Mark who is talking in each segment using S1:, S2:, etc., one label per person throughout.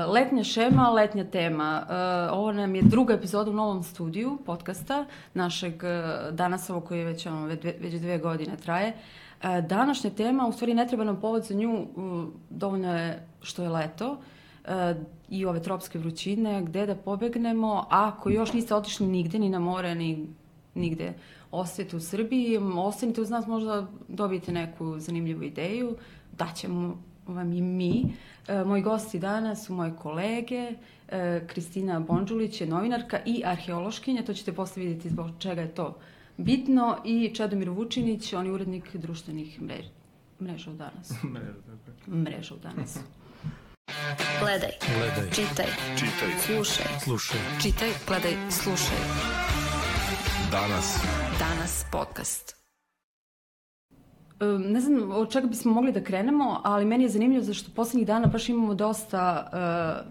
S1: Letnja šema, letnja tema. Ovo nam je druga epizoda u novom studiju podcasta našeg Danasovog koji je već 2 godine traje. Današnja tema, u stvari ne treba nam povod za nju, dovoljno je što je leto i ove tropske vrućine, gde da pobegnemo. Ako još niste otišli nigde, ni na more, ni nigde, ostajete u Srbiji, ostanite uz nas, možda dobijete neku zanimljivu ideju, daćemo vam i mi. Moji gosti danas su moje kolege, Kristina Bondžulić je novinarka i arheološkinja, to ćete posle vidjeti zbog čega je to bitno, i Čedomir Vučinić, on je urednik društvenih mreža u Danas. Mreža u Danas.
S2: Gledaj. Čitaj. Slušaj. Čitaj, gledaj, slušaj. Danas podcast.
S1: Ne znam od čega bismo mogli da krenemo, ali meni je zanimljivo zašto poslednjih dana baš imamo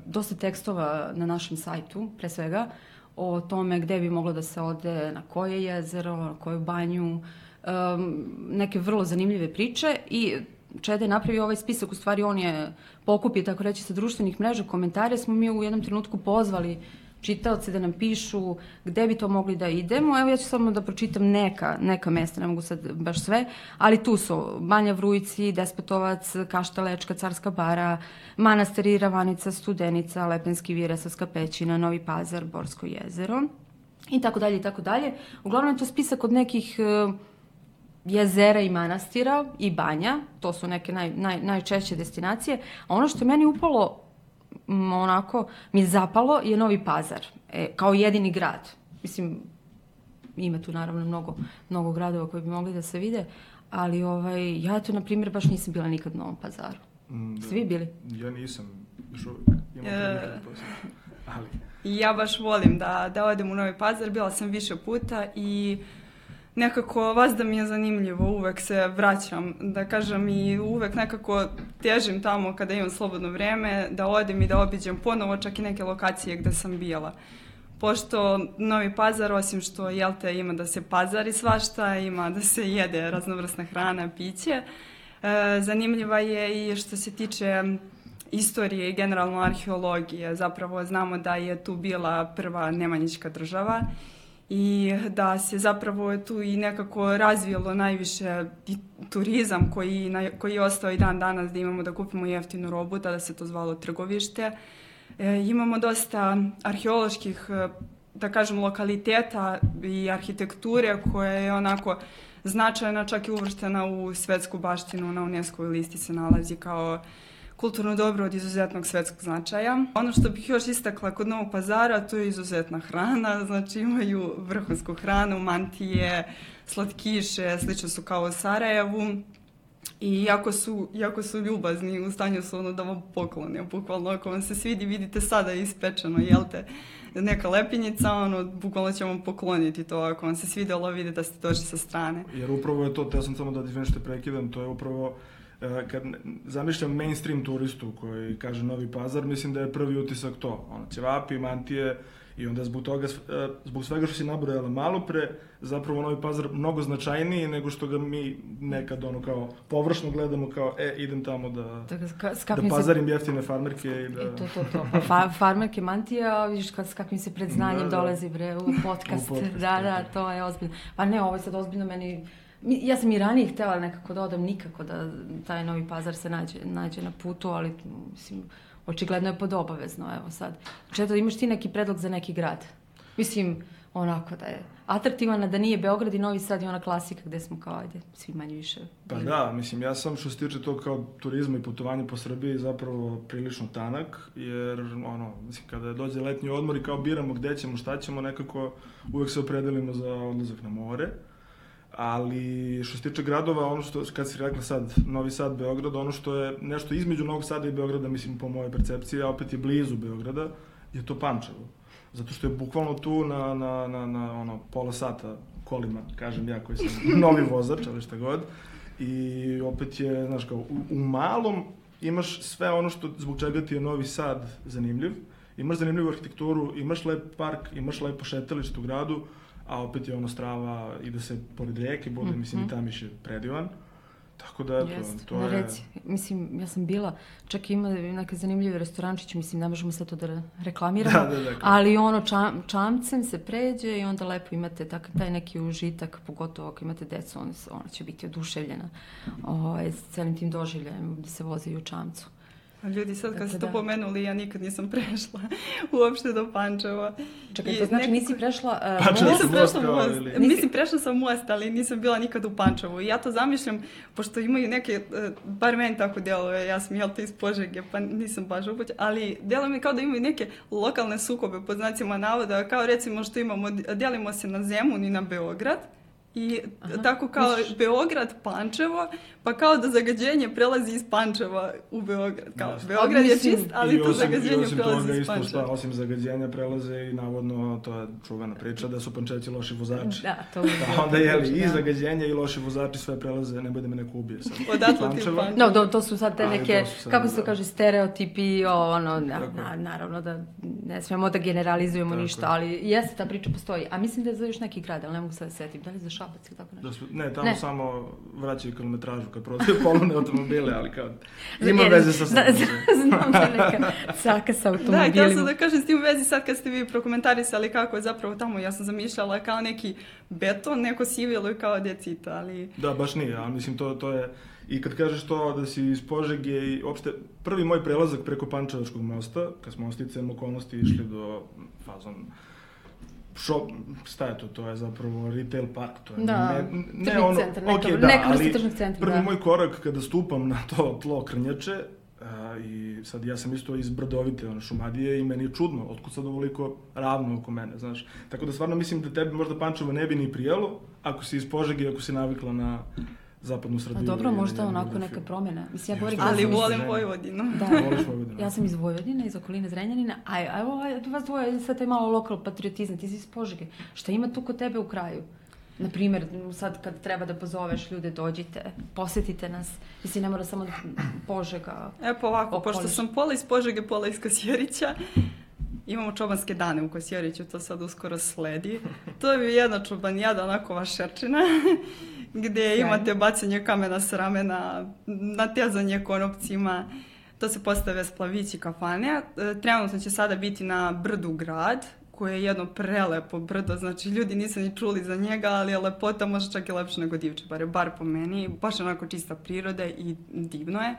S1: dosta tekstova na našem sajtu, pre svega, o tome gde bi moglo da se ode, na koje jezero, na koju banju, neke vrlo zanimljive priče. I Čeda je napravio ovaj spisak, u stvari on je pokupio, tako reći, sa društvenih mreža komentare. Smo mi u jednom trenutku pozvali čitaoce da nam pišu gde bi to mogli da idemo. Evo ja ću samo da pročitam neka mesta, ne mogu sad baš sve, ali tu su Banja Vrujci, Despotovac, Kaštelečka, Carska bara, Manastir Iravanica, Studenica, Lepenski vir, Resavska pećina, Novi Pazar, Borsko jezero i tako dalje i tako dalje. Uglavnom je to spisak od nekih jezera i manastira i banja, to su neke najčešće destinacije, a ono što je meni upalo onako mi je zapalo je Novi Pazar, kao jedini grad. Mislim, ima tu naravno mnogo gradova koji bi mogli da se vide, ali ja to, na primjer, baš nisam bila nikad u Novom Pazaru. Ste vi bili?
S3: Ja nisam, još uvijek. Ali
S4: ja baš volim da odem u Novi Pazar, bila sam više puta i nekako vas da mi je zanimljivo, uvek se vraćam, da kažem, i uvek nekako težim tamo kada imam slobodno vreme, da odem i da obiđem ponovo čak i neke lokacije gde sam bila. Pošto Novi Pazar, osim što ima da se pazari svašta, ima da se jede raznovrsna hrana, piće, zanimljiva je i što se tiče istorije i generalno arheologije. Zapravo znamo da je tu bila prva Nemanjićka država i da se zapravo tu i nekako razvijelo najviše i turizam koji je ostao i dan danas, da imamo da kupimo jeftinu robu, tada se to zvalo trgovište. Imamo dosta arheoloških, da kažem, lokaliteta i arhitekture koja je onako značajna, čak i uvrštena u svetsku baštinu, na UNESCO listi se nalazi kao kulturno dobro od izuzetnog svetskog značaja. Ono što bih još istakla kod Novog Pazara, to je izuzetna hrana, znači imaju vrhunsku hranu, mantije, slatkiše, slično su kao u Sarajevu i jako su ljubazni, u stanju su da vam poklone, bukvalno ako vam se svidi, vidite sada ispečeno, neka lepinjica, bukvalno će vam pokloniti to, ako vam se svidjelo, vidite da ste došli sa strane.
S3: Jer upravo je to, te sam samo da nešto prekidam, to je upravo kad zamišljam mainstream turistu koji kaže Novi Pazar, mislim da je prvi utisak to, ćevapi, mantije, i onda zbog svega što si nabrojala malo pre, zapravo Novi Pazar mnogo značajniji nego što ga mi nekad kao površno gledamo kao idem tamo da pazarim jeftine farmerke i da...
S1: To. Farmerke, mantija, vidiš s kakvim se predznanjem dolazi u podcast. Da, to je ozbiljno. Pa ne, ovo je sad ozbiljno meni... Ja sam i ranije htjela nekako da odem, nikako da taj Novi Pazar se nađe na putu, ali mislim, očigledno je podobavezno, evo sad. Četo, imaš ti neki predlog za neki grad? Mislim, onako da je atraktivan, da nije Beograd i Novi Sad i ona klasika gde smo kao, svi manje više.
S3: Pa da, mislim, ja sam što se tiče to kao turizma i putovanja po Srbiji zapravo prilično tanak, jer mislim, kada dođe letnji odmor i kao biramo gde ćemo, šta ćemo, nekako uvek se opredelimo za odlazak na more. Ali što se tiče gradova, ono što, kad si rekla sad, Novi Sad, Beograd, ono što je nešto između Novog Sada i Beograda, mislim, po mojoj percepciji, a opet je blizu Beograda, je to Pančevo. Zato što je bukvalno tu na pola sata kolima, kažem ja koji sam novi vozač, ali šta god. I opet je, znaš, kao, u malom imaš sve ono što, zbog čega ti je Novi Sad zanimljiv. Imaš zanimljivu arhitekturu, imaš lep park, imaš lepo šetalište u gradu, a opet je Strava, ide se pored rijeke, bude, mislim, i Tamiš je predivan. Tako da, to je...
S1: Reci, mislim, ja sam bila, čak ima neke zanimljive restorančiće, mislim, ne možemo sve to da reklamiramo, ali čamcem se pređe i onda lepo imate taj neki užitak, pogotovo ako imate decu, ona će biti oduševljena s celim tim doživljajem da se voze i u čamcu.
S4: Ljudi, sad kad ste to pomenuli, ja nikad nisam prešla uopšte do Pančeva.
S1: Čekaj, to znači nisi prešla
S4: most? Mislim, prešla sam most, ali nisam bila nikad u Pančevu. I ja to zamišljam, pošto imaju neke, bar meni tako djeluje, ja sam iz Požege, pa nisam baš upućena, ali djeluje mi kao da imaju neke lokalne sukobe, pod znacima navoda, kao recimo što imamo, dijelimo se na Zemun i na Beograd. I tako kao Beograd, Pančevo, pa kao da zagađenje prelazi iz Pančeva u Beograd. Kao Beograd je čist, ali to zagađenje prelazi iz Pančeva.
S3: Osim zagađenja prelaze i navodno, to je čuvena priča, da su Pančevci loši vozači.
S1: Da, to je.
S3: Onda i zagađenje i loši vozači sve prelaze, ne bude me neko ubije sad.
S4: Odatle ti Pančeva.
S1: No, to su sad te neke, kako se to kaže, stereotipi, naravno da ne smijemo da generalizujemo ništa, ali jeste, ta priča postoji. A mislim da je za još neki grad, ali ne mogu sad da setim. Da li za Šabac ili tako nešto?
S3: Ne, tamo samo vraćaju kilometražu kad prodaju polovne automobile, ali kao ima veze sa sobom.
S1: Znam da neka caka sa automobilima.
S4: Da, htjela sam da kažem s tim u vezi sad kad ste vi prokomentarisali kako je zapravo tamo, ja sam zamišljala kao neki beton, neko sivilo i kao decita, ali...
S3: Da, baš nije, ali mislim to je... I kad kažeš to da si iz Požege i uopšte prvi moj prelazak preko Pančevačkog mosta, kad smo sticajem okolnosti išli do fazon... šta je to? To je zapravo retail park. To je
S1: tržni centar, neka vrsta tržnih centra.
S3: Prvi moj korak kada stupam na to tlo Krnjače, i sad ja sam isto iz Brdovite, Šumadije, i meni je čudno, otkud sad ovoliko ravno oko mene, znaš. Tako da stvarno mislim da tebi možda Pančevo ne bi ni prijelo, ako si iz Požege, ako si navikla na zapadnu Srbiju.
S1: A dobro, možda onako neka promjena. Mislim,
S4: ali volim Vojvodinu.
S1: Da, ja sam iz Vojvodine, iz okoline Zrenjanina, a evo vas dvoje, sad je malo lokal patriotizam, ti si iz Požege. Šta ima tu kod tebe u kraju? Naprimjer, sad kad treba da pozoveš ljude, dođite, posjetite nas. Mislim, ne mora samo Požega.
S4: Pa ovako, pošto sam pola iz Požege, pola iz Kosjerića, imamo čobanske dane u Kosjeriću, to sad uskoro sledi. To je jedna čobanijada, onako vašerčina, gdje imate bacanje kamena s ramena, natezanje konopcima, to se postave splavići kafane. Trenutno će sada biti na brdu Grad, koje je jedno prelepo brdo, znači ljudi nisu ni čuli za njega, ali je lepota možda čak i lepša nego Divče, bar po meni, baš onako čista priroda i divno je.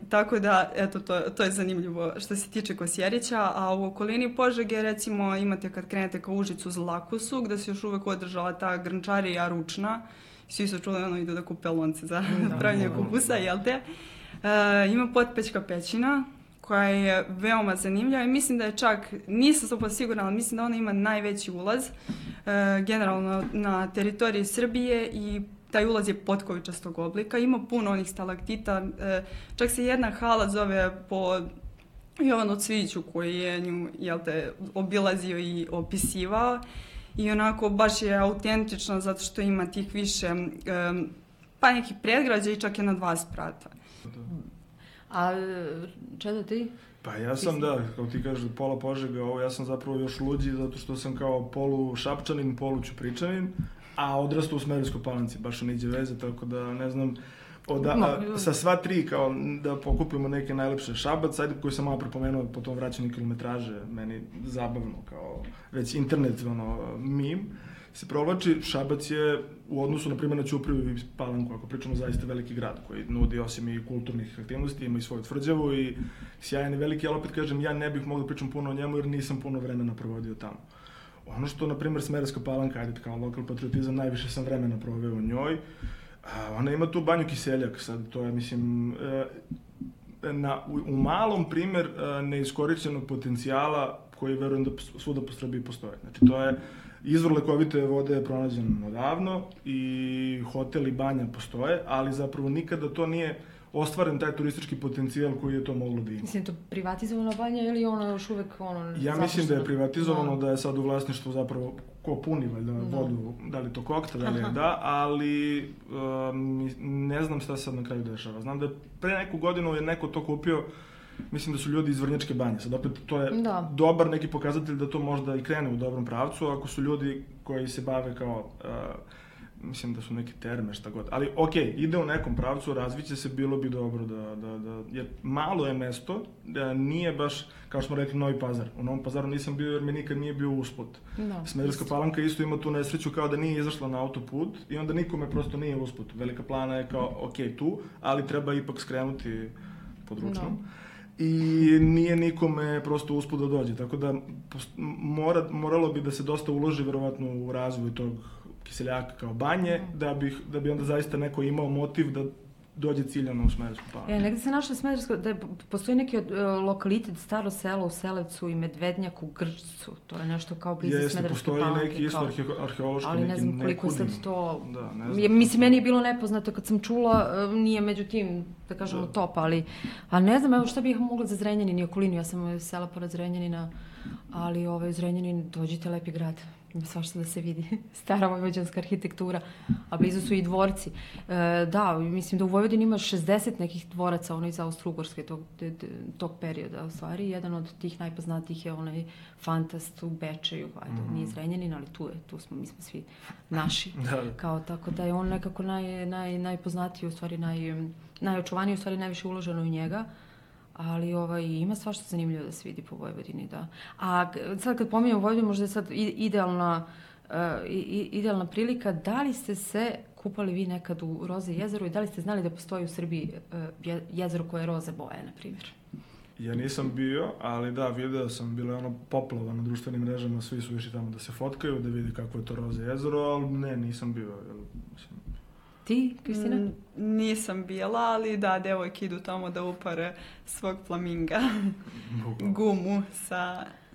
S4: Tako da, eto, to je zanimljivo što se tiče Kosjerića, a u okolini Požege, recimo, imate kad krenete ka Užicu Zlakusu, gde se još uvek održala ta grnčarija ručna, svi su čuli, idu da kupe lonce za pravljanje kupusa, jel te? Ima Potpećka pećina, koja je veoma zanimljiva i mislim da je čak, nisam to sigurna, ali mislim da ona ima najveći ulaz generalno na teritoriji Srbije i taj ulaz je potkovičastog oblika. Ima puno onih stalaktita, čak se jedna hala zove po Jovanu Cvijiću koji je nju, obilazio i opisivao i onako baš je autentična zato što ima tih više, pa nekih predgrađa i čak je na 2 sprata.
S1: A Čedo, ti?
S3: Pa ja sam, kao ti kažeš, pola Požega, ja sam zapravo još luđi zato što sam kao polu Šapčanin, polu Ćupričanin, a odrastao u Smederevskoj Palanci, baš niđe veze, tako da ne znam, sa sva 3 kao da pokupimo neke najlepše. Šabac, ajde, koji sam malo prepomenuo po tom vraćanju kilometraže, meni zabavno, kao već internet, meme, se provlači. Šabac je u odnosu, na primjer, na Ćupriju i Palanku, ako pričamo, zaista veliki grad koji nudi osim i kulturnih aktivnosti, ima i svoju tvrđavu i sjajan i veliki, ali opet kažem, ja ne bih mogla pričam puno o njemu jer nisam puno vremena provodio tamo. Ono što, na primjer, Smederevska Palanka, ajde, kao lokal patriotizam, najviše sam vremena proveo u njoj. Ona ima tu banju Kiseljak, sad to je, mislim, u malom primjer neiskorišćenog potencijala koji verujem da svuda po Srbiji postoje. Znači, to je izvor lekovite vode je pronađen odavno i hotel i banja postoje, ali zapravo nikada to nije ostvaren taj turistički potencijal koji je to moglo da ima.
S1: Mislim, to privatizovana banja ili ono još uvek
S3: Ja mislim da je privatizovano, da je sad u vlasništvu zapravo ko puni vodu, da li to kokta, da li je ali ne znam šta sad na kraju dešava. Znam da pre neku godinu je neko to kupio, mislim da su ljudi iz Vrnjačke banje. Sad opet to je dobar neki pokazatelj da to možda i krene u dobrom pravcu, ako su ljudi koji se bave kao mislim da su neke terme, šta god. Ali, okej, ide u nekom pravcu, razviće se, bilo bi dobro jer malo je mesto, da nije baš, kao što smo rekli, Novi Pazar. U Novom Pazaru nisam bio jer mi nikad nije bio usput.
S1: No,
S3: Smederevska Palanka isto ima tu nesreću kao da nije izašla na autoput i onda nikome prosto nije usput. Velika Plana je kao, okej, tu, ali treba ipak skrenuti pod ručnom. No. I nije nikome prosto usput da dođe, tako da moralo bi da se dosta uloži verovatno u razvoj tog Kiseljaka kao banje, da bi onda zaista neko imao motiv da dođe ciljano u Smederevsku Palanku.
S1: Negde se našla Smederevska, da postoji neki lokalitet, staro selo u Selevcu i Medvednjak u Grčcu, to je nešto kao blizu Smederevske Palanke.
S3: Postoji neki isto arheološki,
S1: ali ne znam koliko je sad to...
S3: Da, ne znam.
S1: Mislim, meni je bilo nepoznato kad sam čula, nije među tim, da kažemo, top, ali ne znam, evo šta bih mogla za Zrenjanin i okolinu, ja sam sela pored Zrenjanina, ali Zrenjanin, dođite, lepi grad. Ima svašta da se vidi, stara vojvođanska arhitektura, a blizu su i dvorci. Da, mislim da u Vojvodini ima 60 nekih dvoraca, iz Austro-Ugarske tog perioda, u stvari. Jedan od tih najpoznatijih je onaj Fantast u Bečeju, nije Zrenjanin, ali tu smo, mi smo svi naši. Kao, tako da je on nekako najpoznatiji, u stvari najočuvaniji, u stvari najviše uloženo u njega. Ali ima svašta zanimljivo da se vidi po Vojvodini, da. A sad kad pominjamo Vojvodinu, možda je sad idealna prilika, da li ste se kupali vi nekad u Roze jezeru i da li ste znali da postoji u Srbiji jezero koje je roze boje, na primjer?
S3: Ja nisam bio, ali da, video sam, bilo je ono poplava na društvenim mrežama, svi su išli tamo da se fotkaju, da vidi kako je to Roze jezero, ali ne, nisam bio, mislim.
S1: Ti, Kristina?
S4: Nisam bila, ali da, devojke idu tamo da upare svog flaminga, gumu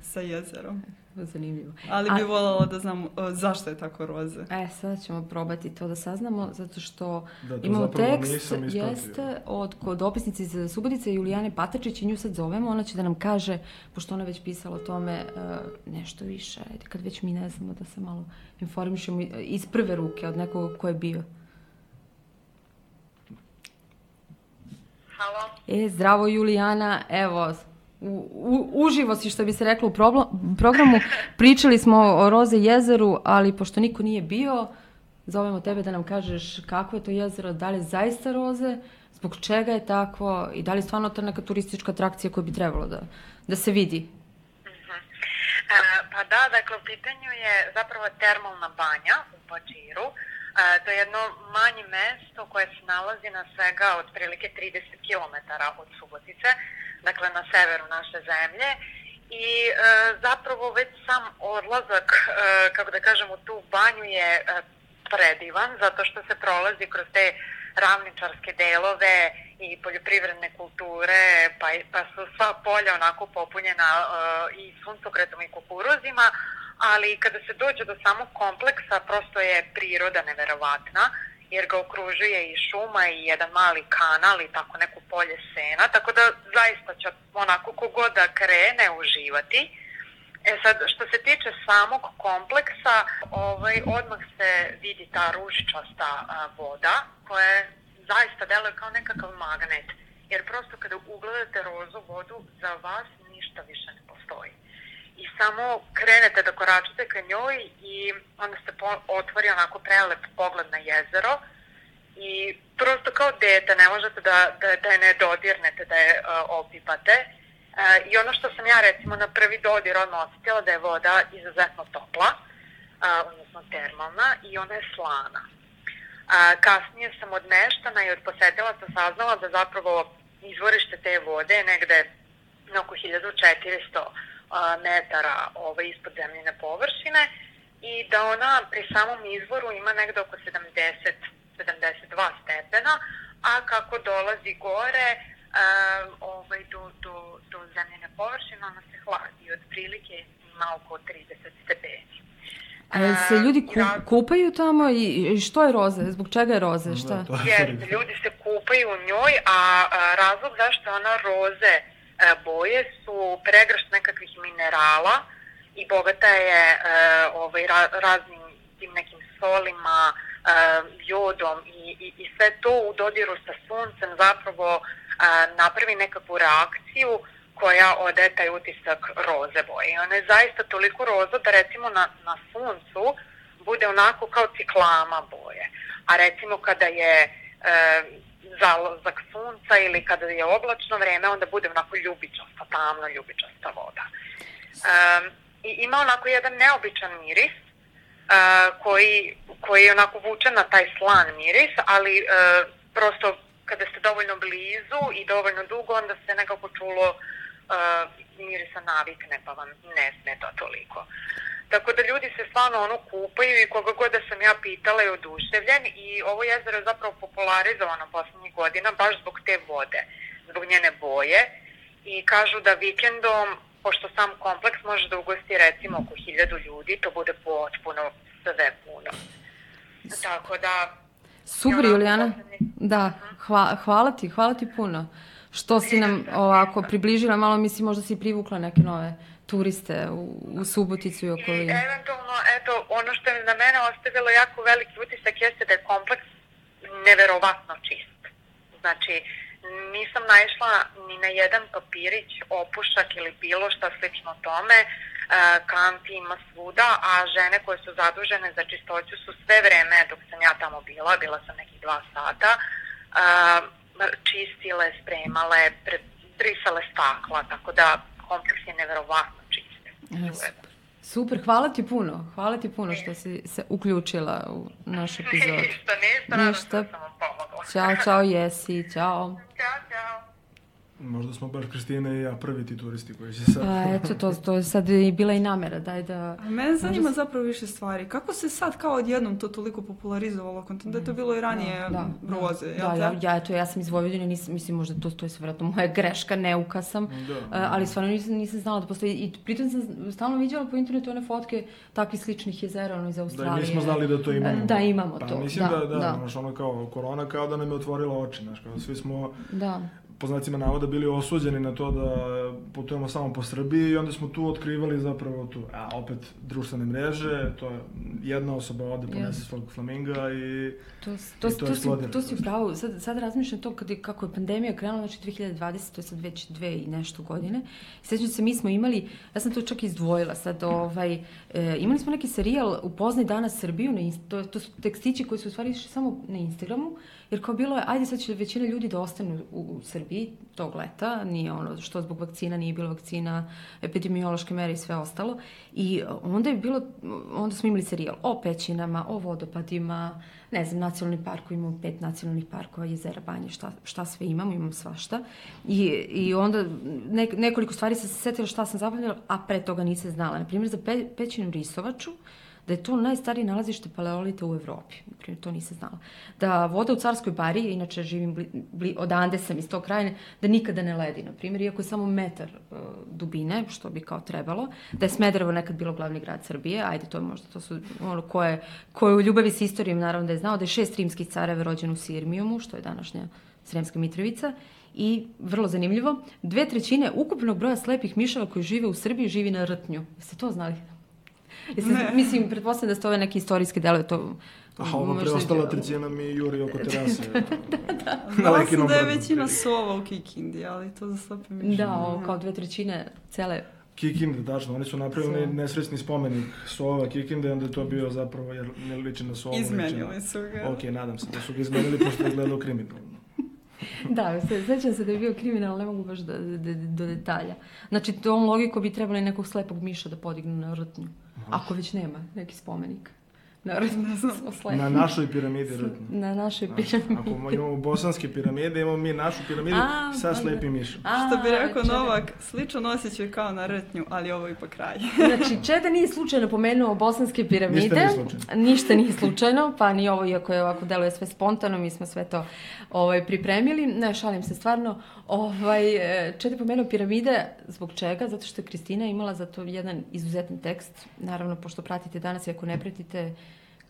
S4: sa jezerom.
S1: Zanimljivo.
S4: Ali bi voljela da znam zašto je tako roze.
S1: Sad ćemo probati to da saznamo, zato što imamo tekst, od dopisnice iz Subotice, Julijane Patačić, i nju sad zovemo, ona će da nam kaže, pošto ona već pisala o tome nešto više, kad već mi ne znamo, da se malo informišemo iz prve ruke od nekog ko je bio.
S5: Halo.
S1: Zdravo Julijana, evo, uživo si, što bi se reklo, u programu. Pričali smo o Roze jezeru, ali pošto niko nije bio, zovemo tebe da nam kažeš kako je to jezero, da li je zaista roze, zbog čega je tako i da li je stvarno to neka turistička atrakcija koja bi trebalo da se vidi.
S5: Pa da, dakle, u pitanju je zapravo termalna banja u Pačiru. To je jedno manje mesto koje se nalazi na svega otprilike 30 km od Subotice, dakle na severu naše zemlje. I zapravo već sam odlazak, kako da kažem, u tu banju je predivan, zato što se prolazi kroz te ravničarske delove i poljoprivredne kulture, pa su sva polja onako popunjena i suncokretom i kukuruzima, ali kada se dođe do samog kompleksa, prosto je priroda neverovatna, jer ga okružuje i šuma i jedan mali kanal i tako neko polje sena, tako da zaista će onako kogod da krene uživati. Sad, što se tiče samog kompleksa, odmah se vidi ta ružičasta voda, koja zaista deluje kao nekakav magnet, jer prosto kada ugledate rozu vodu, za vas ništa više ne postoji. I samo krenete da koračate ka njoj i onda se otvori onako prelep pogled na jezero i prosto kao dete ne možete da je ne dodirnete, da je opipate. I ono što sam ja recimo na prvi dodir odmah osjetila da je voda izuzetno topla, odnosno termalna, i ona je slana. Kasnije sam od meštana i od posetilaca saznala da zapravo izvorište te vode je negde oko 1400 metara ispod zemljine površine i da ona pri samom izvoru ima negde oko 70-72 stepena, a kako dolazi gore do zemljine površine ona se hladi i otprilike ima oko 30 stepeni.
S1: A se ljudi kupaju tamo i što je roze? Zbog čega je roze? Šta?
S5: Ljudi se kupaju u njoj, a razlog zašto ona roze boje su pregršt nekakvih minerala i bogata je raznim tim nekim solima, jodom i sve to u dodiru sa suncem zapravo napravi nekakvu reakciju koja odaje taj utisak roze boje. Ona je zaista toliko roza da recimo na suncu bude onako kao ciklama boje. A recimo kada je zalazak sunca ili kada je oblačno vreme, onda bude onako ljubičasta, tamno ljubičasta voda. I ima onako jedan neobičan miris koji je onako vuče na taj slan miris, ali prosto kada ste dovoljno blizu i dovoljno dugo, onda se nekako čulo mirisa navikne, pa vam ne smeta toliko. Tako da ljudi se stvarno kupaju i koga god da sam ja pitala je oduševljen i ovo jezero je zapravo popularizovano poslednjih godina baš zbog te vode, zbog njene boje i kažu da vikendom, pošto sam kompleks može da ugosti recimo oko 1000 ljudi, to bude potpuno sve puno. Tako da...
S1: Super, Julijana. Da, hvala ti puno. Što si nam ovako približila, malo mislim možda si privukla neke nove turiste u Suboticu i okolinu.
S5: I eventualno, eto, ono što je na mene ostavilo jako veliki utisak jeste da je kompleks neverovatno čist. Znači, nisam naišla ni na jedan papirić, opušak ili bilo šta slično tome. Kanti ima svuda, a žene koje su zadužene za čistoću su sve vreme, dok sam ja tamo bila sam nekih 2 sata, čistile, spremale, brisale stakla, tako da kompleks je neverovatno čist.
S1: Super, hvala ti puno što si se uključila u naš epizod.
S5: Ništa, rado što sam vam pomogla.
S1: Ćao, Jesi, ćao.
S5: Ćao.
S3: Možda smo baš Kristina i ja prvi ti turisti koji će sad...
S1: Pa eto, to je sad i bila i namera, daj da...
S4: A mene zanima zapravo više stvari. Kako se sad kao odjednom to toliko popularizovalo? Da je to bilo i ranije broze, jel te?
S1: Ja sam iz Vojvodine, mislim možda to je sve vjerojatno moja greška, neuka sam, ali stvarno nisam znala da postoji. I pritom sam stalno vidjela po internetu one fotke takvih sličnih jezera, iz Australije.
S3: Da, i mi smo znali da to imamo.
S1: Da, imamo to.
S3: Pa mislim da, ono kao korona kao da nam je otvorila oči, znaš, kao svi smo... po znacima navoda bili osuđeni na to da putujemo samo po Srbiji i onda smo tu otkrivali zapravo tu, opet društvene mreže, to je jedna osoba ode ponese svog flaminga i to eksplodira.
S1: To si upravo, sad razmišljam to kako je pandemija krenula, znači 2020, to je sad već 2 i nešto godine. Sjećam se, mi smo imali, ja sam to čak izdvojila sad, imali smo neki serijal Upoznaj danas Srbiju, to su tekstići koji su u stvari išli samo na Instagramu, jer kao bilo je, ajde sad će većina ljudi da ostanu u Srbiji tog leta, nije ono što zbog vakcina, nije bilo vakcina, epidemiološke mere i sve ostalo. I onda smo imali serijal o pećinama, o vodopadima, ne znam, nacionalni park, imamo 5 nacionalnih parkova, jezera, banje, šta sve imamo svašta. I onda nekoliko stvari sam se setila šta sam zapamtila, a pre toga nisam znala. Naprimjer, za pećinu Risovaču, da je to najstarije nalazište paleolita u Evropi. Naprimjer, to nisam znala. Da voda u Carskoj bari, inače živim odande sam iz tog kraja, da nikada ne ledi, naprimjer, iako je samo metar dubine, što bi kao trebalo. Da je Smederevo nekad bilo glavni grad Srbije, ajde, to su ono koje u ljubavi s istorijom naravno da je znao, da je 6 rimskih careva rođeno u Sirmijumu, što je današnja Sremska Mitrovica. I, vrlo zanimljivo, 2/3 ukupnog broja slepih miševa koji žive u Srbiji živi na Rtnju. Jeste to znali? Mislim, pretpostavljam da ste ove neke istorijske delove to...
S3: Ovo preostala 1/3 mi juri oko terase.
S4: Znala sam da je većina sova u Kikindi, ali to za slepe miševe.
S1: Da, kao 2/3 cele...
S3: Kikinde, tačno, oni su napravili nesrećni spomenik sova Kikinde, onda je to bio zapravo, jer ne liči na sovu.
S4: Izmenili su ga.
S3: Ok, nadam se da su ga izmenili, pošto je gledao kriminalno.
S1: Da, sećam se da je bio kriminal, ne mogu baš do detalja. Znači, tom logiku bi trebali nekog slepog miša da podignu na Rtnju. Ako već nema neki spomenik.
S3: Na našoj piramidi Rtnju.
S1: Na našoj piramidi.
S3: Ako imamo bosanske piramide, imamo mi našu piramidu sa slepim mišom.
S4: Što bi rekao Novak, sličan osjećaj kao na Rtnju, ali ovo je pa kraj.
S1: Znači, Čeda nije slučajno pomenuo bosanske piramide. Ništa nije slučajno, pa ni ovo, iako je ovako deluje sve spontano, mi smo sve to pripremili. Ne, šalim se stvarno. Čeda je pomenuo piramide, zbog čega? Zato što je Kristina imala za to jedan izuzetan tekst. Naravno, pošto pratite danas i ako ne pratite,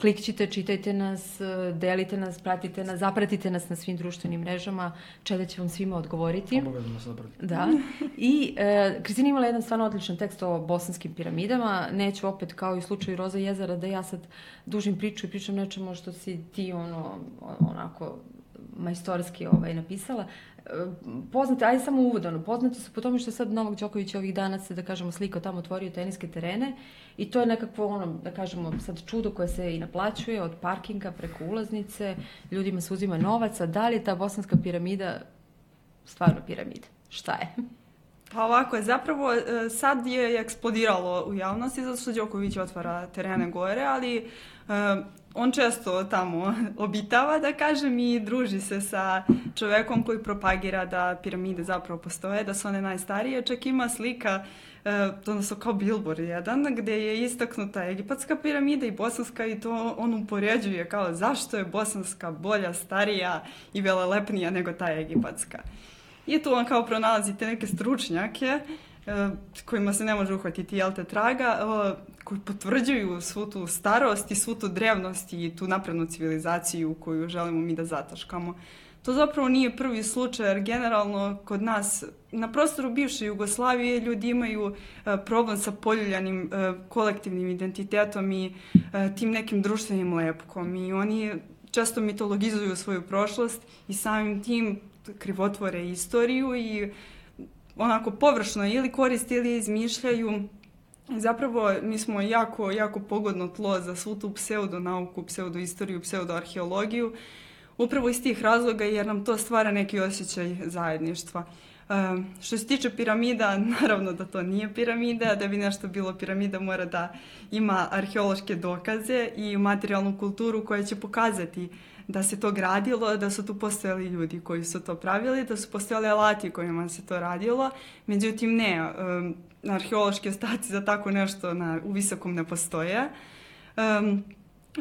S1: klikćite, čitajte nas, delite nas, pratite nas, zapratite nas na svim društvenim mrežama. Čeda će vam svima odgovoriti.
S3: Obavezno nas zapratite.
S1: Da. I Kristina imala jedan stvarno odličan tekst o bosanskim piramidama. Neću opet, kao i u slučaju Roza jezera, da ja sad dužim priču i pričam nečemu što si ti onako majstorski napisala. Poznati, ajde samo uvodano, poznati su po tome što je sad Novak Đoković ovih dana se, da kažemo, slikao tamo, otvorio teniske terene i to je nekakvo, da kažemo, sad čudo koje se i naplaćuje od parkinga preko ulaznice, ljudima se uzima novac, a da li je ta Bosanska piramida stvarno piramida? Šta je?
S4: Pa ovako je, zapravo sad je eksplodiralo u javnosti zato što Đoković otvara terene gore, ali on često tamo obitava, da kažem, i druži se sa čovekom koji propagira da piramide zapravo postoje, da su one najstarije. Čak ima slika, odnosno kao billboard jedan, gde je istaknuta egipatska piramida i bosanska i to on upoređuje kao zašto je bosanska bolja, starija i velelepnija nego ta egipatska. I tu on kao pronalazi te neke stručnjake kojima se ne može uhvatiti traga, koji potvrđuju svu tu starost i svu tu drevnost i tu naprednu civilizaciju koju želimo mi da zataškamo. To zapravo nije prvi slučaj, jer generalno kod nas na prostoru bivše Jugoslavije ljudi imaju problem sa poljuljanim kolektivnim identitetom i tim nekim društvenim lepkom i oni često mitologizuju svoju prošlost i samim tim krivotvore istoriju i onako površno ili koriste ili izmišljaju. Zapravo mi smo jako, jako pogodno tlo za svu tu pseudonauku, pseudoistoriju, pseudoarheologiju, upravo iz tih razloga jer nam to stvara neki osjećaj zajedništva. Što se tiče piramida, naravno da to nije piramida, da bi nešto bilo piramida mora da ima arheološke dokaze i materijalnu kulturu koja će pokazati da se to gradilo, da su tu postojali ljudi koji su to pravili, da su postojali alati kojima se to radilo. Međutim, ne, arheološki ostaci za tako nešto u visokom ne postoje.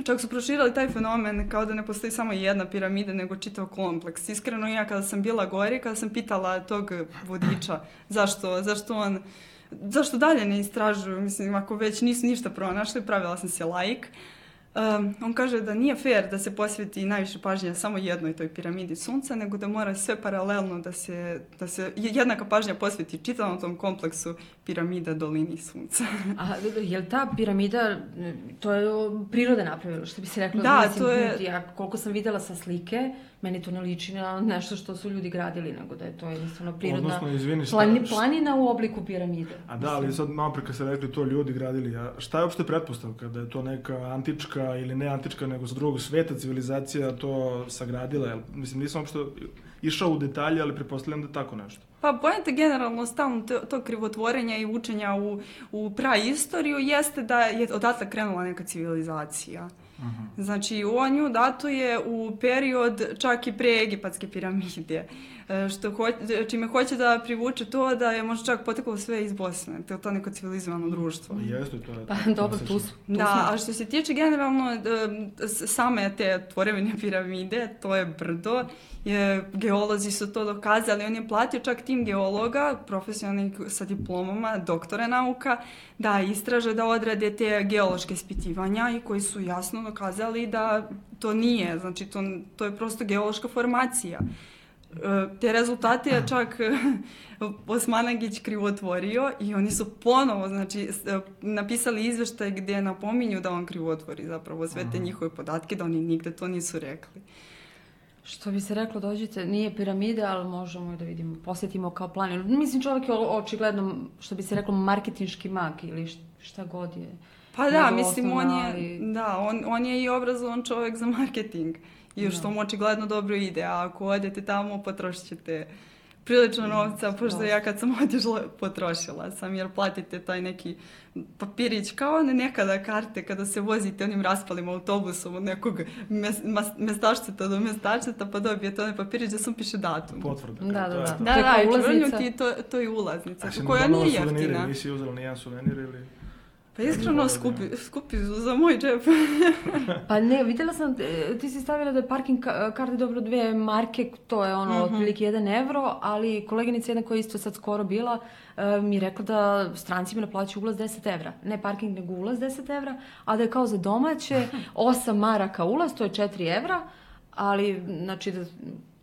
S4: Čak su proširali taj fenomen kao da ne postoji samo jedna piramida, nego čitav kompleks. Iskreno, ja kada sam bila gore, kada sam pitala tog vodiča zašto dalje ne istražuju, mislim, ako već nisu ništa pronašli, pravila sam se laik. On kaže da nije fair da se posveti najviše pažnje samo jednoj toj piramidi sunca, nego da mora sve paralelno da se jednaka pažnja posveti čitavom tom kompleksu piramida dolini sunca.
S1: A je li ta piramida, to je priroda napravila, što bi se rekla?
S4: Da,
S1: mislim,
S4: to je...
S1: Ja koliko sam videla sa slike, meni to ne liči na nešto što su ljudi gradili, nego da je to jednostavno prirodna planina u obliku piramide.
S3: A da, ali sad malo pre kad ste rekli to ljudi gradili, a šta je uopšte pretpostavka? Da je to neka antička ili ne antička, nego sa drugog sveta civilizacija to sagradila? Mislim, nisam uopšte išao u detalje, ali pretpostavljam da je tako nešto.
S4: Pa pojenta generalno stalno to krivotvorenja i učenja u praistoriju jeste da je odatle krenula neka civilizacija. Znači, on ju datuje u period čak i pre egipatske piramide, čime hoće da privuče to da je možda čak poteklo sve iz Bosne, to neko civilizovano društvo.
S3: Jeste, to je.
S1: Pa dobro, tu smo.
S4: Da, a što se tiče generalno same te tvorevine piramide, to je brdo, geolozi su to dokazali, on je platio čak tim geologa, profesionalnih sa diplomama, doktore nauka, da istraže, da odrade te geološke ispitivanja i koji su jasno dokazali da to nije, znači to je prosto geološka formacija. Te rezultate je čak Osmanagić krivotvorio i oni su ponovo, znači, napisali izveštaj gdje napominju da on krivotvori zapravo sve te njihove podatke, da oni nigde to nisu rekli.
S1: Što bi se reklo, dođite, nije piramida, ali možemo da vidimo, posjetimo kao planinu. Mislim, čovjek je očigledno, što bi se reklo, marketinški mag ili šta god je.
S4: Pa da, mislim, on je i obrazovan čovjek za marketing. I što mu očigledno dobro ide, a ako odete tamo, potrošit ćete prilično novca, pošto ja kad sam otišla, potrošila sam, jer platite taj neki papirić, kao one nekada karte kada se vozite onim raspalim autobusom od nekog mestačceta do mestačceta, pa dobijete onaj papirić da sam piše datum.
S3: Potvrda.
S4: Da, ulaznica. To je ulaznica, koja nije jeftina.
S3: Nisi uzela nijedan suvenir ili...
S4: Pa iskreno skupi za moj džep.
S1: Pa ne, vidjela sam, ti si stavila da je parking karte dobro 2 marke, to je otprilike 1 evro, ali koleginica jedna koja je isto sad skoro bila mi je rekla da strancima naplaćuju ulaz 10 evra. Ne parking, nego ulaz 10 evra, a da je kao za domaće 8 maraka ulaz, to je 4 evra, ali znači da...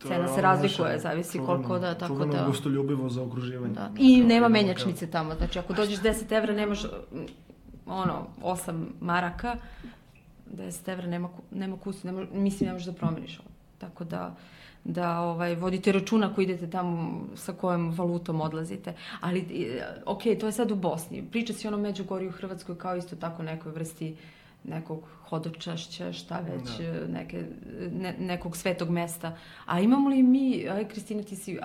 S1: Cena se razlikuje, zavisi koliko da, tako da...
S3: Čuveno gostoljubivo za okruživanje.
S1: Da. I nema menjačnice tamo, znači ako dođeš 10 evra nemaš 8 maraka, 10 evra nema kusu, mislim ne možeš da promeniš ovo. Tako da da vodite računa ako idete tamo sa kojom valutom odlazite. Ali, ok, to je sad u Bosni. Priča se ono Međugorju u Hrvatskoj kao isto tako nekoj vrsti nekog hodočašća, šta već, nekog svetog mesta. A imamo li mi, Kristina, ti si,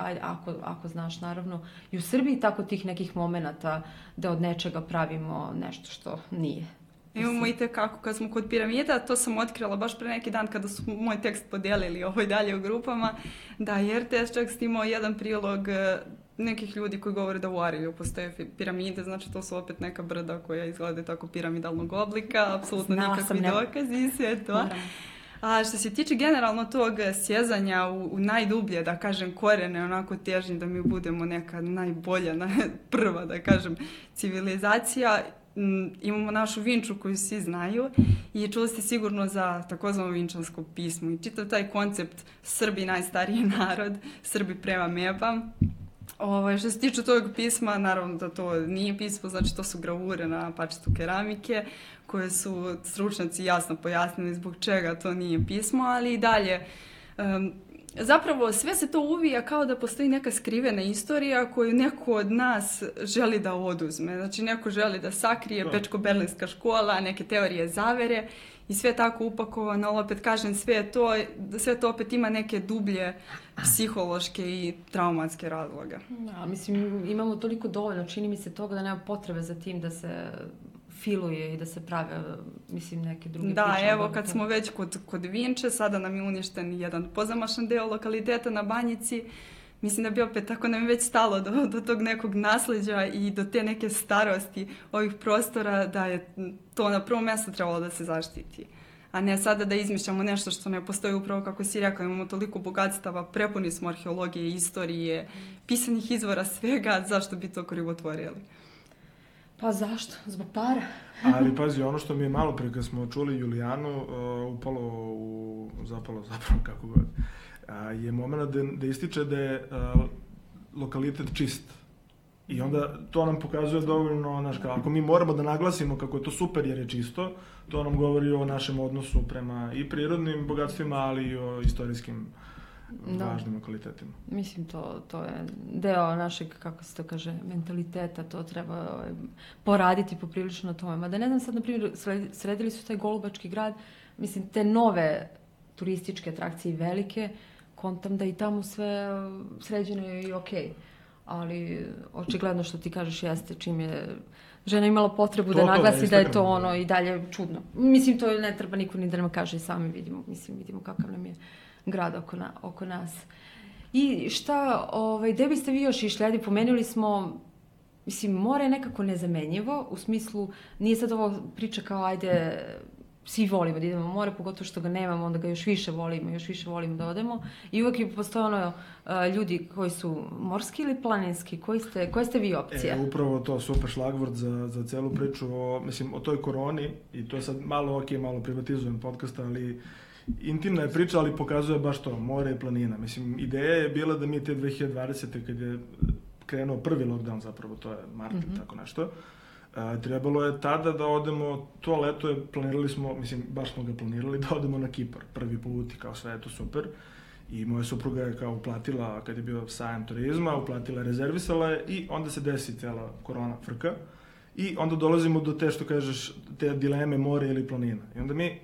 S1: ako znaš naravno, i u Srbiji tako tih nekih momenata da od nečega pravimo nešto što nije?
S4: Imamo i tekako, kad smo kod piramida, to sam otkrila baš pre neki dan kada su moj tekst podijelili dalje u grupama, da je RTS čak snimao jedan prilog nekih ljudi koji govore da u Arilju postoje piramide, znači to su opet neka brda koja izgleda tako piramidalnog oblika, apsolutno nikakvi dokazi i sve to. A što se tiče generalno tog sjezanja u najdublje, da kažem, korene, onako težnje da mi budemo neka najbolja, prva, da kažem, civilizacija, imamo našu Vinču koju svi znaju i čuli ste sigurno za takozvano vinčansko pismo i čitav taj koncept Srbi najstariji narod, Srbi prema meba. Što se tiče tog pisma, naravno da to nije pismo, znači to su gravure na parčetu keramike koje su stručnjaci jasno pojasnili zbog čega to nije pismo, ali i dalje zapravo sve se to uvija kao da postoji neka skrivena istorija koju neko od nas želi da oduzme. Znači neko želi da sakrije Bečko-Berlinska škola, neke teorije zavere i sve tako upakovano, ali opet kažem sve to opet ima neke dublje psihološke i traumatske razloge.
S1: Ja, mislim, imamo toliko dovoljno, čini mi se toga da nema potrebe za tim da se filuje i da se prave, mislim, neke druge priče.
S4: Da, evo, kad smo već kod Vinče, sada nam je uništen jedan pozamašan deo lokaliteta na Banjici. Mislim da bi opet, tako nam je već stalo do tog nekog nasleđa i do te neke starosti ovih prostora, da je to na prvom mjestu trebalo da se zaštiti. A ne sada da izmišljamo nešto što ne postoji, upravo kako si rekao, imamo toliko bogatstava, prepuni smo arheologije, istorije, pisanih izvora, svega, zašto bi to krivotvorili?
S1: Pa zašto? Zbog para.
S3: Ali pazi, ono što mi je malo prije kad smo čuli Julijanu, zapalo zapravo kako god, je moment da ističe da je lokalitet čist. I onda to nam pokazuje dovoljno, ako mi moramo da naglasimo kako je to super jer je čisto, to nam govori o našem odnosu prema i prirodnim bogatstvima, ali i o istorijskim važnim lokalitetima.
S1: Mislim, to je deo našeg, kako se to kaže, mentaliteta, to treba poraditi poprilično na tome. Mada ne znam sad, na primjer, sredili su taj Golubački grad, mislim, te nove turističke atrakcije velike, kontam da i tamo sve sređeno je i okej. Ali očigledno što ti kažeš jeste čim je žena imala potrebu da naglasi da je to i dalje čudno. Mislim, to ne treba niko ni da nam kaže, sami vidimo kakav nam je grad oko nas. I šta, gde biste vi još išli? Ajde, pomenuli smo, mislim, more je nekako nezamenjivo, u smislu, nije sad ovo priča kao, ajde, svi volimo da idemo na more, pogotovo što ga nemamo, onda ga još više volimo da odemo. I uvek je postoje ljudi koji su morski ili planinski, koje ste vi opcije?
S3: Upravo to, super šlagvord za celu priču o toj koroni, i to je sad malo privatizujem podcast, ali intimna je priča, ali pokazuje baš to, more i planina. Mislim, ideja je bila da mi te 2020. kad je krenuo prvi lockdown, zapravo to je mart, tako nešto, trebalo je tada da odemo, to leto planirali smo, mislim, baš smo ga planirali, da odemo na Kipar, prvi put i kao sve je to super. I moja supruga je kao uplatila, kad je bio sajam turizma, uplatila, rezervisala je i onda se desi cijela korona frka. I onda dolazimo do te, što kažeš, te dileme more ili planina. I onda mi,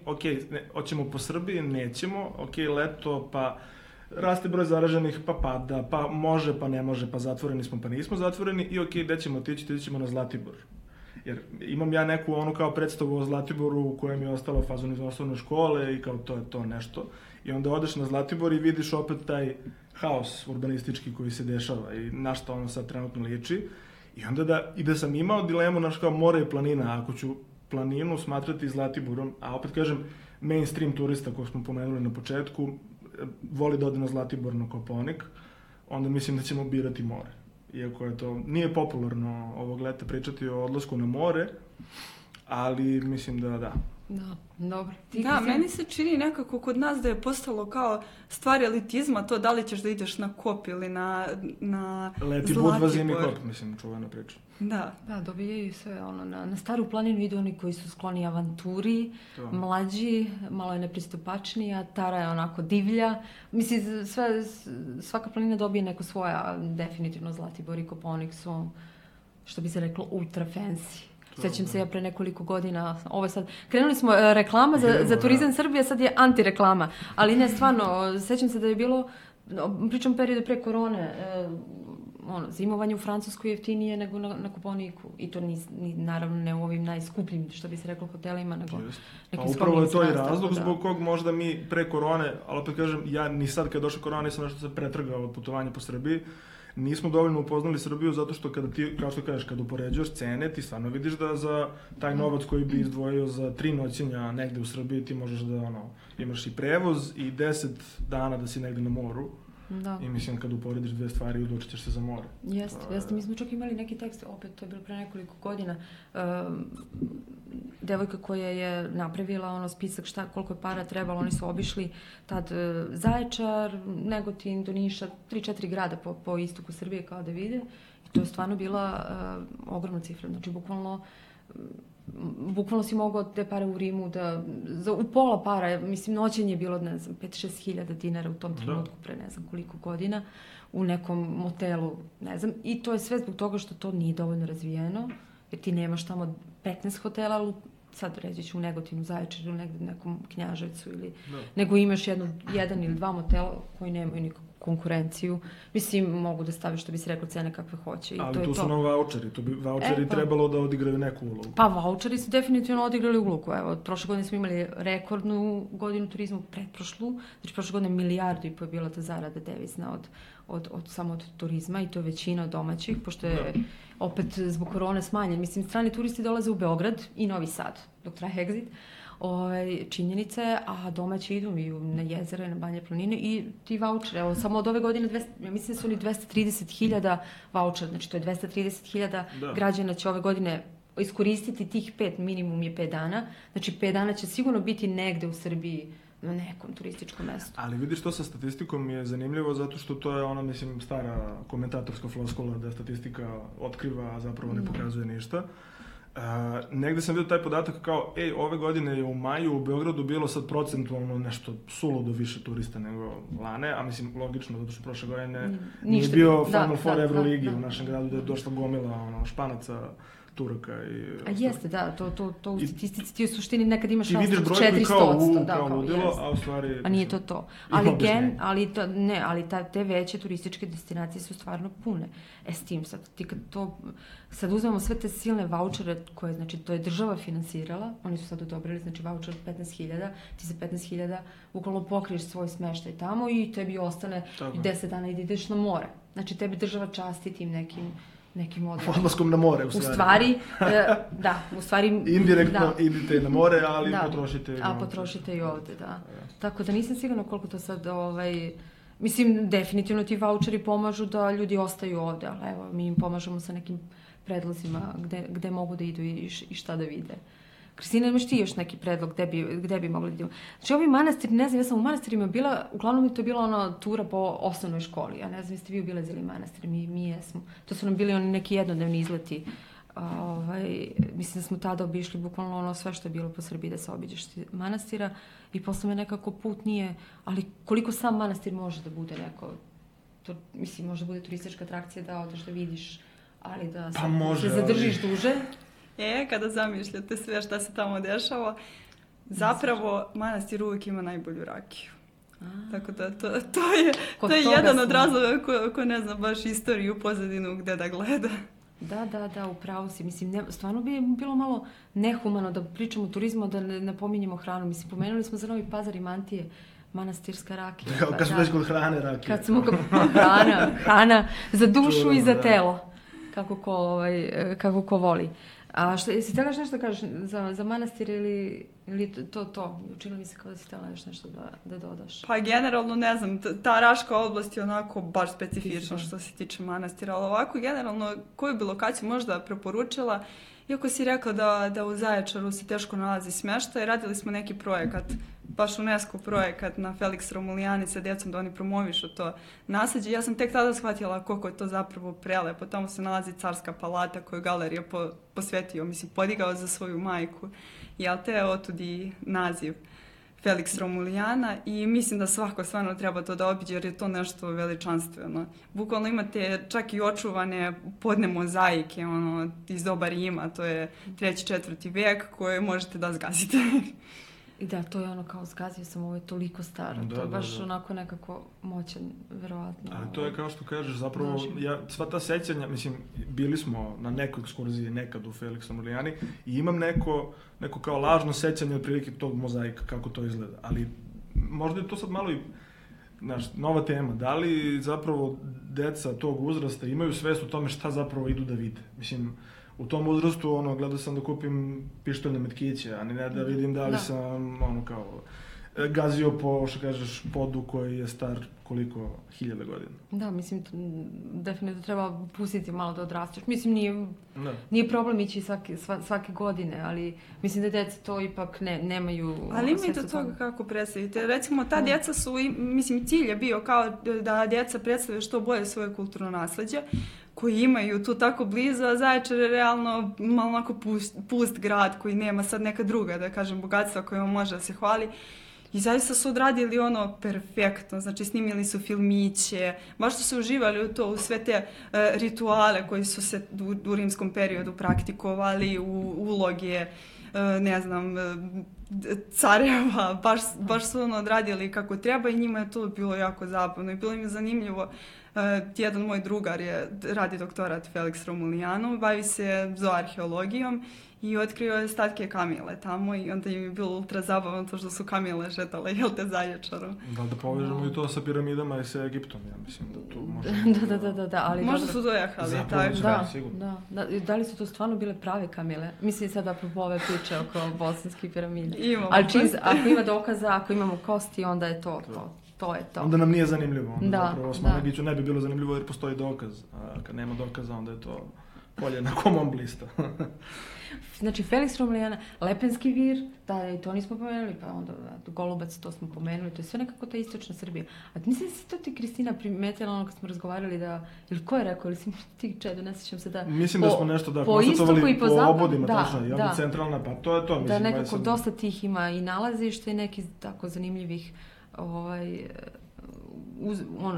S3: hoćemo po Srbiji, nećemo, leto, pa raste broj zaraženih, pa pada, pa može, pa ne može, pa zatvoreni smo, pa nismo zatvoreni i gde ćemo otići, ćemo na Zlatibor. Jer imam ja neku kao predstavu o Zlatiboru u kojem je ostala fazon iz osnovne škole i kao to je to nešto. I onda odeš na Zlatibor i vidiš opet taj haos urbanistički koji se dešava i na što ono sad trenutno liči. I onda da sam imao dilemu, kao more i planina, ako ću planinu smatrati Zlatiborom, a opet kažem, mainstream turista koji smo pomenuli na početku, voli da ode na Zlatibor, na Kopaonik, onda mislim da ćemo birati more. Iako je to, nije popularno ovog leta pričati o odlasku na more, ali mislim da,
S1: Da, dobro.
S4: Da, meni se čini nekako kod nas da je postalo kao stvar elitizma to da li ćeš da ideš na Kop ili na
S3: Leti Budva, zimi Kop, mislim, čuvena priča.
S4: Da.
S1: Da, dobijaju se na Staru planinu idu oni koji su skloni avanturi, mlađi, malo je nepristupačniji, a Tara je onako divlja. Mislim, svaka planina dobije neko svoja, definitivno Zlatibor i Kopaonik su, što bi se reklo, ultra fancy. Sjećam se ja pre nekoliko godina, ovo sad, krenuli smo reklama za turizam Srbije, sad je antireklama, ali ne, stvarno, sjećam se da je bilo, pričam periodu pre korone, zimovanje u Francuskoj jeftinije nego na Kopaoniku. I to naravno ne u ovim najskupljim, što bi se reklo, hotelima, nego nekim skromnim.
S3: Upravo je to i razlog zbog kog možda mi pre korone, ali opet kažem, ja ni sad kad je došla korona nisam nešto se pretrgao od putovanja po Srbiji, nismo dovoljno upoznali Srbiju zato što kada ti, kao što kažeš, kad upoređuješ cene, ti stvarno vidiš da za taj novac koji bi izdvojio za 3 noćenja negde u Srbiji ti možeš da imaš i prevoz i 10 dana da si negde na moru.
S1: Da.
S3: I mislim kad uporediš dve stvari odlučit ćeš se za more.
S1: Jeste. Mi smo čak imali neki tekst, opet to je bilo pre nekoliko godina, devojka koja je napravila spisak koliko je para trebalo, oni su obišli tad Zaječar, Negotin, do Niša, 3-4 grada po istoku Srbije kao da vide i to je stvarno bila ogromna cifra, znači bukvalno si mogao te pare u Rimu u pola para, mislim noćenje je bilo, ne znam, 5-6 hiljada dinara u tom trenutku pre ne znam koliko godina u nekom motelu, ne znam, i to je sve zbog toga što to nije dovoljno razvijeno, jer ti nemaš tamo 15 hotela, ali sad reći ću u Negotinu, Zaječaru, negde nekom Knjaževcu nego imaš jedan ili dva motela koji nemaju nikakvu konkurenciju. Mislim, mogu da staviš, što bi se rekao, cene kakve hoće.
S3: Ali tu su nam vaučeri. Tu bi vaučeri trebalo da odigraju neku ulogu.
S1: Pa vaučeri su definitivno odigrali ulogu. Evo, prošle godine smo imali rekordnu godinu turizmu, pretprošlu. Znači, prošle godine 1,5 milijardu je bila ta zarada devizna samo od turizma i to je većina domaćih, pošto je opet zbog korone smanjen. Mislim, strani turisti dolaze u Beograd i Novi Sad, dok traje Exit. Činjenica je, a domaći idu i na jezera i na Banje planine i ti vaučere, evo samo od ove godine, ja mislim da su oni 230.000 vaučera, znači to je 230.000 građana će ove godine iskoristiti tih 5, minimum je 5 dana, znači 5 dana će sigurno biti negde u Srbiji na nekom turističkom mestu.
S3: Ali vidiš, to sa statistikom je zanimljivo zato što to je ona, mislim, stara komentatorska floskula da statistika otkriva, a zapravo ne pokazuje ništa. Negde sam vidio taj podatak kao, ove godine je u maju u Beogradu bilo sad procentualno nešto suludo više turista nego lane, a mislim logično, zato što prošle godine nije bio Final Four Euroligi u našem gradu da je došla gomila Španaca, Turaka i...
S1: A jeste, da, to u statistici ti u suštini nekad imaš 400%.
S3: Ti vidiš brojku kao ludilo, a u stvari...
S1: A nije to. Ali te veće turističke destinacije su stvarno pune. S tim sad, ti kad to... Sad uzmemo sve te silne vaučere koje, znači, to je država finansirala, oni su sad odobrili, znači, vaučer 15.000, ti za 15.000 bukvalno pokriješ svoj smeštaj tamo i tebi ostane 10 dana i da ideš na more. Znači, tebi država časti tim nekim odnoskom.
S3: Odlaskom na more, u stvari.
S1: U stvari...
S3: Indirektno idete na more, ali potrošite i ovdje.
S1: A potrošite i ovdje, da. Tako da nisam sigurna koliko to sad, mislim, definitivno ti vaučeri pomažu da ljudi ostaju ovdje, ali evo, mi im pomažemo sa nekim predlozima gde mogu da idu i šta da vide. Kristina, imaš ti još neki predlog gde bi mogli da idemo? Znači, ovi manastiri, ne znam, ja sam u manastirima bila, uglavnom je to bila tura po osnovnoj školi. Ja ne znam, jeste vi obilazili manastir, mi jesmo. To su nam bili oni neki jednodnevni izleti. Mislim da smo tada obišli bukvalno sve što je bilo po Srbiji da se obiđeš manastira i posle me nekako put nije, ali koliko sam manastir može da bude neko, to, mislim, može da bude turistička atrakcija da odeš da vidiš, ali da se zadržiš duže.
S4: Kada zamišljate sve šta se tamo dešava, zapravo manastir uvijek ima najbolju rakiju. Tako da to je jedan od razloga ko ne zna baš istoriju, pozadinu gde da gleda.
S1: Da, upravo si. Mislim, stvarno bi bilo malo nehumano da pričamo o turizmu, da ne pominjemo hranu. Mislim, pomenuli smo za Novi Pazar i Mantije, manastirska rakija.
S3: Kad smo već kod hrane rakije.
S1: Kad smo hrana za dušu i za telo. Kako ko voli. A jesi htjela nešto kažeš za manastir ili to? Učinilo mi se kao da si htjela nešto da dodaš.
S4: Pa generalno, ne znam, ta Raška oblast je onako baš specifična što se tiče manastira, ali ovako generalno koju bi lokaciju možda preporučila, iako si rekla da u Zaječaru se teško nalazi smještaj, radili smo neki projekat, baš UNESCO projekat na Felix Romulijani sa djecom da oni promovišu to nasleđe. Ja sam tek tada shvatila koliko je to zapravo prelepo. Tamo se nalazi carska palata koju galerija posvetio, podigao za svoju majku. Jel te, otud i naziv Felix Romulijana i mislim da svako stvarno treba to da obiđe jer je to nešto veličanstveno. Bukvalno imate čak i očuvane podne mozaike iz doba Rima, to je 3. 4. vijek koje možete da zgazite.
S1: I da, to je kao zgazio sam, ovo je toliko staro, to je baš onako nekako moćan, verovatno.
S3: Ali to je kao što kažeš, zapravo, sva ta sećanja, bili smo na nekoj ekskurziji nekad u Felix Romulijani i imam neko kao lažno sećanje otprilike tog mozaika, kako to izgleda, ali možda je to sad malo i nova tema, da li zapravo deca tog uzrasta imaju svest o tome šta zapravo idu da vide, u tom uzrastu, gledao sam da kupim pištoljne metkiće, a ne da vidim da li sam, gazio po, što kažeš, podu koji je star koliko 1000 godina.
S1: Da, definitivno treba pustiti malo da odrasteš. Nije problem ići svake godine, ali mislim da djeca to ipak nemaju...
S4: Ali ima i do toga kako predstavite. Recimo, ta djeca su, cilj je bio kao da djeca predstave što bolje svoje kulturno nasleđe, koji imaju tu tako blizu, a Zaječar je realno malo onako pust grad koji nema sad neka druga, da kažem, bogatstva kojima može da se hvali. I zaista su odradili perfektno, snimili su filmiće, baš su se uživali u to, u sve te rituale koji su se u rimskom periodu praktikovali, u uloge, ne znam, careva, baš su odradili kako treba i njima je to bilo jako zabavno i bilo im je zanimljivo. Jedan moj drugar radi doktorat Felix Romulijanu, bavi se zooarheologijom i otkrio je ostatke kamile tamo i onda im je bilo ultra zabavno to što su kamile šetale, Zaječaru.
S3: Da povežemo i to sa piramidama i sa Egiptom, ja mislim da tu možemo...
S1: Da, ali...
S4: Možda su dojahali,
S3: tako.
S1: Da. Da li su to stvarno bile prave kamile? Mislim sad apropo ove priče oko bosanskih piramida.
S4: Ali
S1: ako ima dokaza, ako imamo kosti, onda je to. To je to.
S3: Onda nam nije zanimljivo. Zapravo Osmanagiću ne bi bilo zanimljivo jer postoji dokaz. A kad nema dokaza, onda je to polje na komom blista.
S1: Znači, Felix Romulijana, Lepenski vir, da, i to nismo pomenuli, pa onda Golubac, to smo pomenuli, to je sve nekako ta istočna Srbija. A mislim da si to ti, Kristina, primetila kad smo razgovarali da, ili ko je rekao, ili si ti Čedo, ne sjećam se da...
S3: Mislim da smo nešto konstatovali po obodima, tačno, i centralna, pa to je to.
S1: Da, nekako dosta tih ima i nalazište i neki tako zanimljivih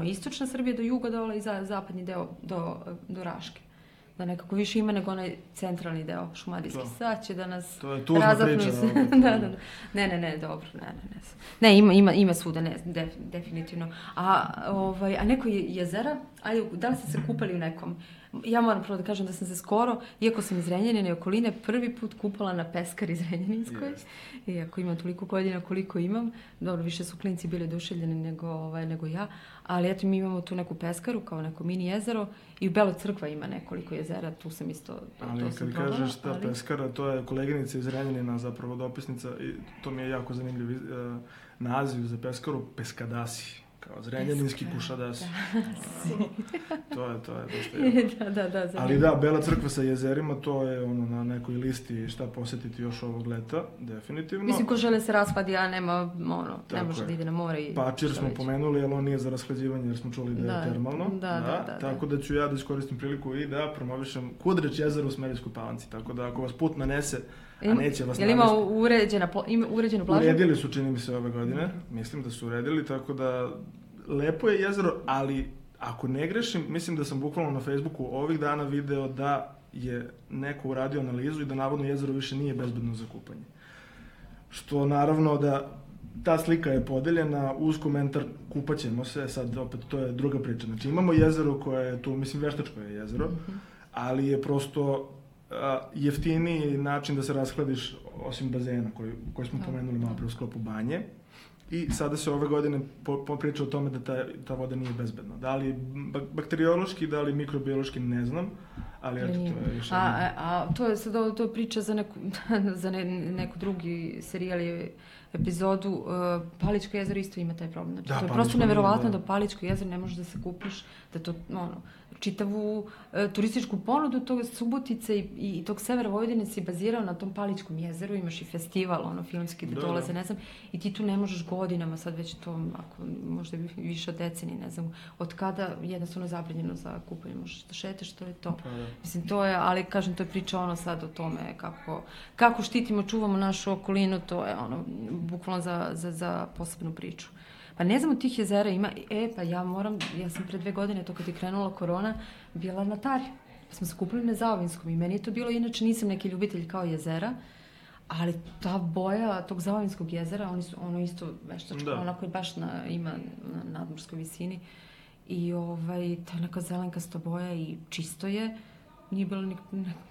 S1: istočna Srbija do juga dole i zapadni deo do Raške. Da nekako više ima nego onaj centralni deo šumadijski. Sad će da nas razapnu. Ne, dobro, ne, ima svuda, ne, definitivno. A neko jezera, da li ste se kupali u nekom? Ja moram prvo da kažem da sam se skoro, iako sam iz Renjanine i okoline, prvi put kupala na Peskari iz Renjaninskoj. Iako imam toliko godina koliko imam. Dobro, više su klinci bili oduševljeni nego ja. Ali eto, mi imamo tu neku peskaru, kao neko mini jezero. I u Beloj Crkva ima nekoliko jezera, tu sam isto...
S3: Ali kad kažeš ta peskara, to je koleginica iz Renjanina, zapravo dopisnica. I to mi je jako zanimljiv naziv za peskaru, Peskadasi. Kao zrenjaninski kušadasi. To je dosta jako.
S1: Da.
S3: Ali da, Bela Crkva sa jezerima, to je na nekoj listi šta posjetiti još ovog leta, definitivno.
S1: Mislim, ko žele se rashladi, a ne može da ide na more i...
S3: Pačir smo pomenuli, ali on nije za rashlađivanje jer smo čuli da je termalno.
S1: Da.
S3: Tako da ću ja da iskoristim priliku i da promovišem Kudreć jezero u Smederevskoj Palanci. Tako da ako vas put nanese, a neće vas
S1: navesti... Ima uređenu plažu?
S3: Uredili su, čini mi se, ove godine. Mislim da su uredili, tako da lepo je jezero, ali ako ne grešim, mislim da sam bukvalno na Facebooku ovih dana video da je neko uradio analizu i da navodno jezero više nije bezbedno za kupanje. Što naravno da ta slika je podeljena uz komentar kupaćemo se, sad opet to je druga priča. Znači imamo jezero koje je tu, mislim veštačko je jezero, ali je prosto jeftiniji način da se rashladiš osim bazena koji smo pomenuli malo pre u sklopu banje. I sada se ove godine priča o tome da ta voda nije bezbedna. Da li bakteriološki, da li mikrobiološki, ne znam, ali eto, to je još jedno.
S1: To je sad to je priča za neku drugi serijal i epizodu. Paličko jezero isto ima taj problem. Znači, to je prosto neverovatno da Paličko jezero ne možeš da se kupiš, da to, čitavu turističku ponudu tog Subotice i tog severa Vojvodine si bazirao na tom Paličkom jezeru, imaš i festival, filmski da dolaze, ne znam, i ti tu ne možeš godinama, sad već to, ako možda više od decenije, ne znam, od kada jednostavno zabranjeno za kupanje, možeš da šeteš, to je to. Mislim, to je, ali kažem, to je priča sad o tome kako štitimo, čuvamo našu okolinu, to je bukvalno za posebnu priču. Pa ne znam, od tih jezera ima, ja sam pre 2 godine, to kad je krenula korona, bila na Tari. Pa smo se kupili na Zaovinskom i meni je to bilo, inače nisam neki ljubitelj kao jezera, ali ta boja tog Zaovinskog jezera, ono isto veštačko, onako je baš ima na nadmorskoj visini i ta neka zelenkasta boja i čisto je, nije bilo ni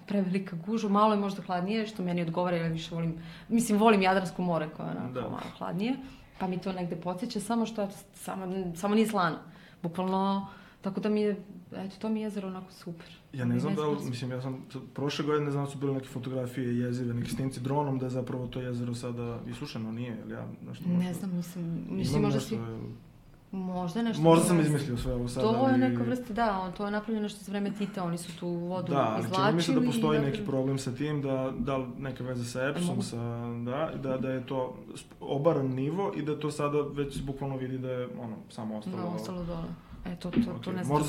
S1: prevelika gužva, malo je možda hladnije, što meni odgovara, ja više volim Jadransko more koje je onako malo hladnije. Pa mi to negde podsjeća, samo nije slano. Bukvalno, tako da mi je, to mi je jezero onako super.
S3: Ja ne znam ja sam prošle godine, ne znam da su bile neke fotografije jezive, neki snimci dronom, da je zapravo to jezero sada isušeno, nije, ili ja nešto...
S1: Ne znam, mislim možda si... Možda nešto...
S3: Možda sam izmislio sve ovo sada.
S1: To je neka vrsta, to je napravljeno nešto za vreme Tita, oni su tu vodu izvlačili.
S3: Da, čini mi se da postoji neki problem sa tim, da neke veze sa EPS-om, da je to obaran nivo i da to sada već bukvalno vidi da je samo ostalo...
S1: Da, ostalo dole. To ne znam,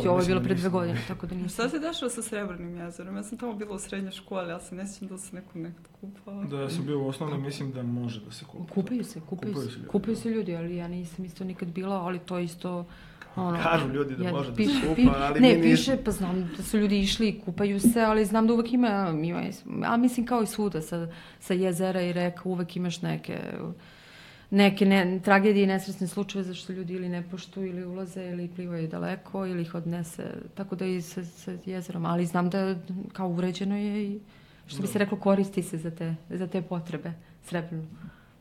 S1: ovo je bilo pre 2 godine, tako da nisam.
S4: Šta se dešava sa Srebrnim jezerom? Ja sam tamo bila u srednjoj školi, ja se ne sjećam da se nekad kupala.
S3: Da, ja sam bio u osnovnoj, mislim da može da se kupa.
S1: Kupaju se ljudi, ali ja nisam isto nikad bila, ali to isto...
S3: Kažu ljudi da može da se kupa, ali mi nisam.
S1: Ne, piše, pa znam da su ljudi išli i kupaju se, ali znam da uvek ima, a mislim kao i svuda sa jezera i reka, uvek imaš neke tragedije i nesretne slučajeve zašto ljudi ili ne poštuju ili ulaze ili plivaju daleko ili ih odnese, tako da i sa jezerom, ali znam da kao uređeno je i što bi se reklo koristi se za te potrebe Srebrno.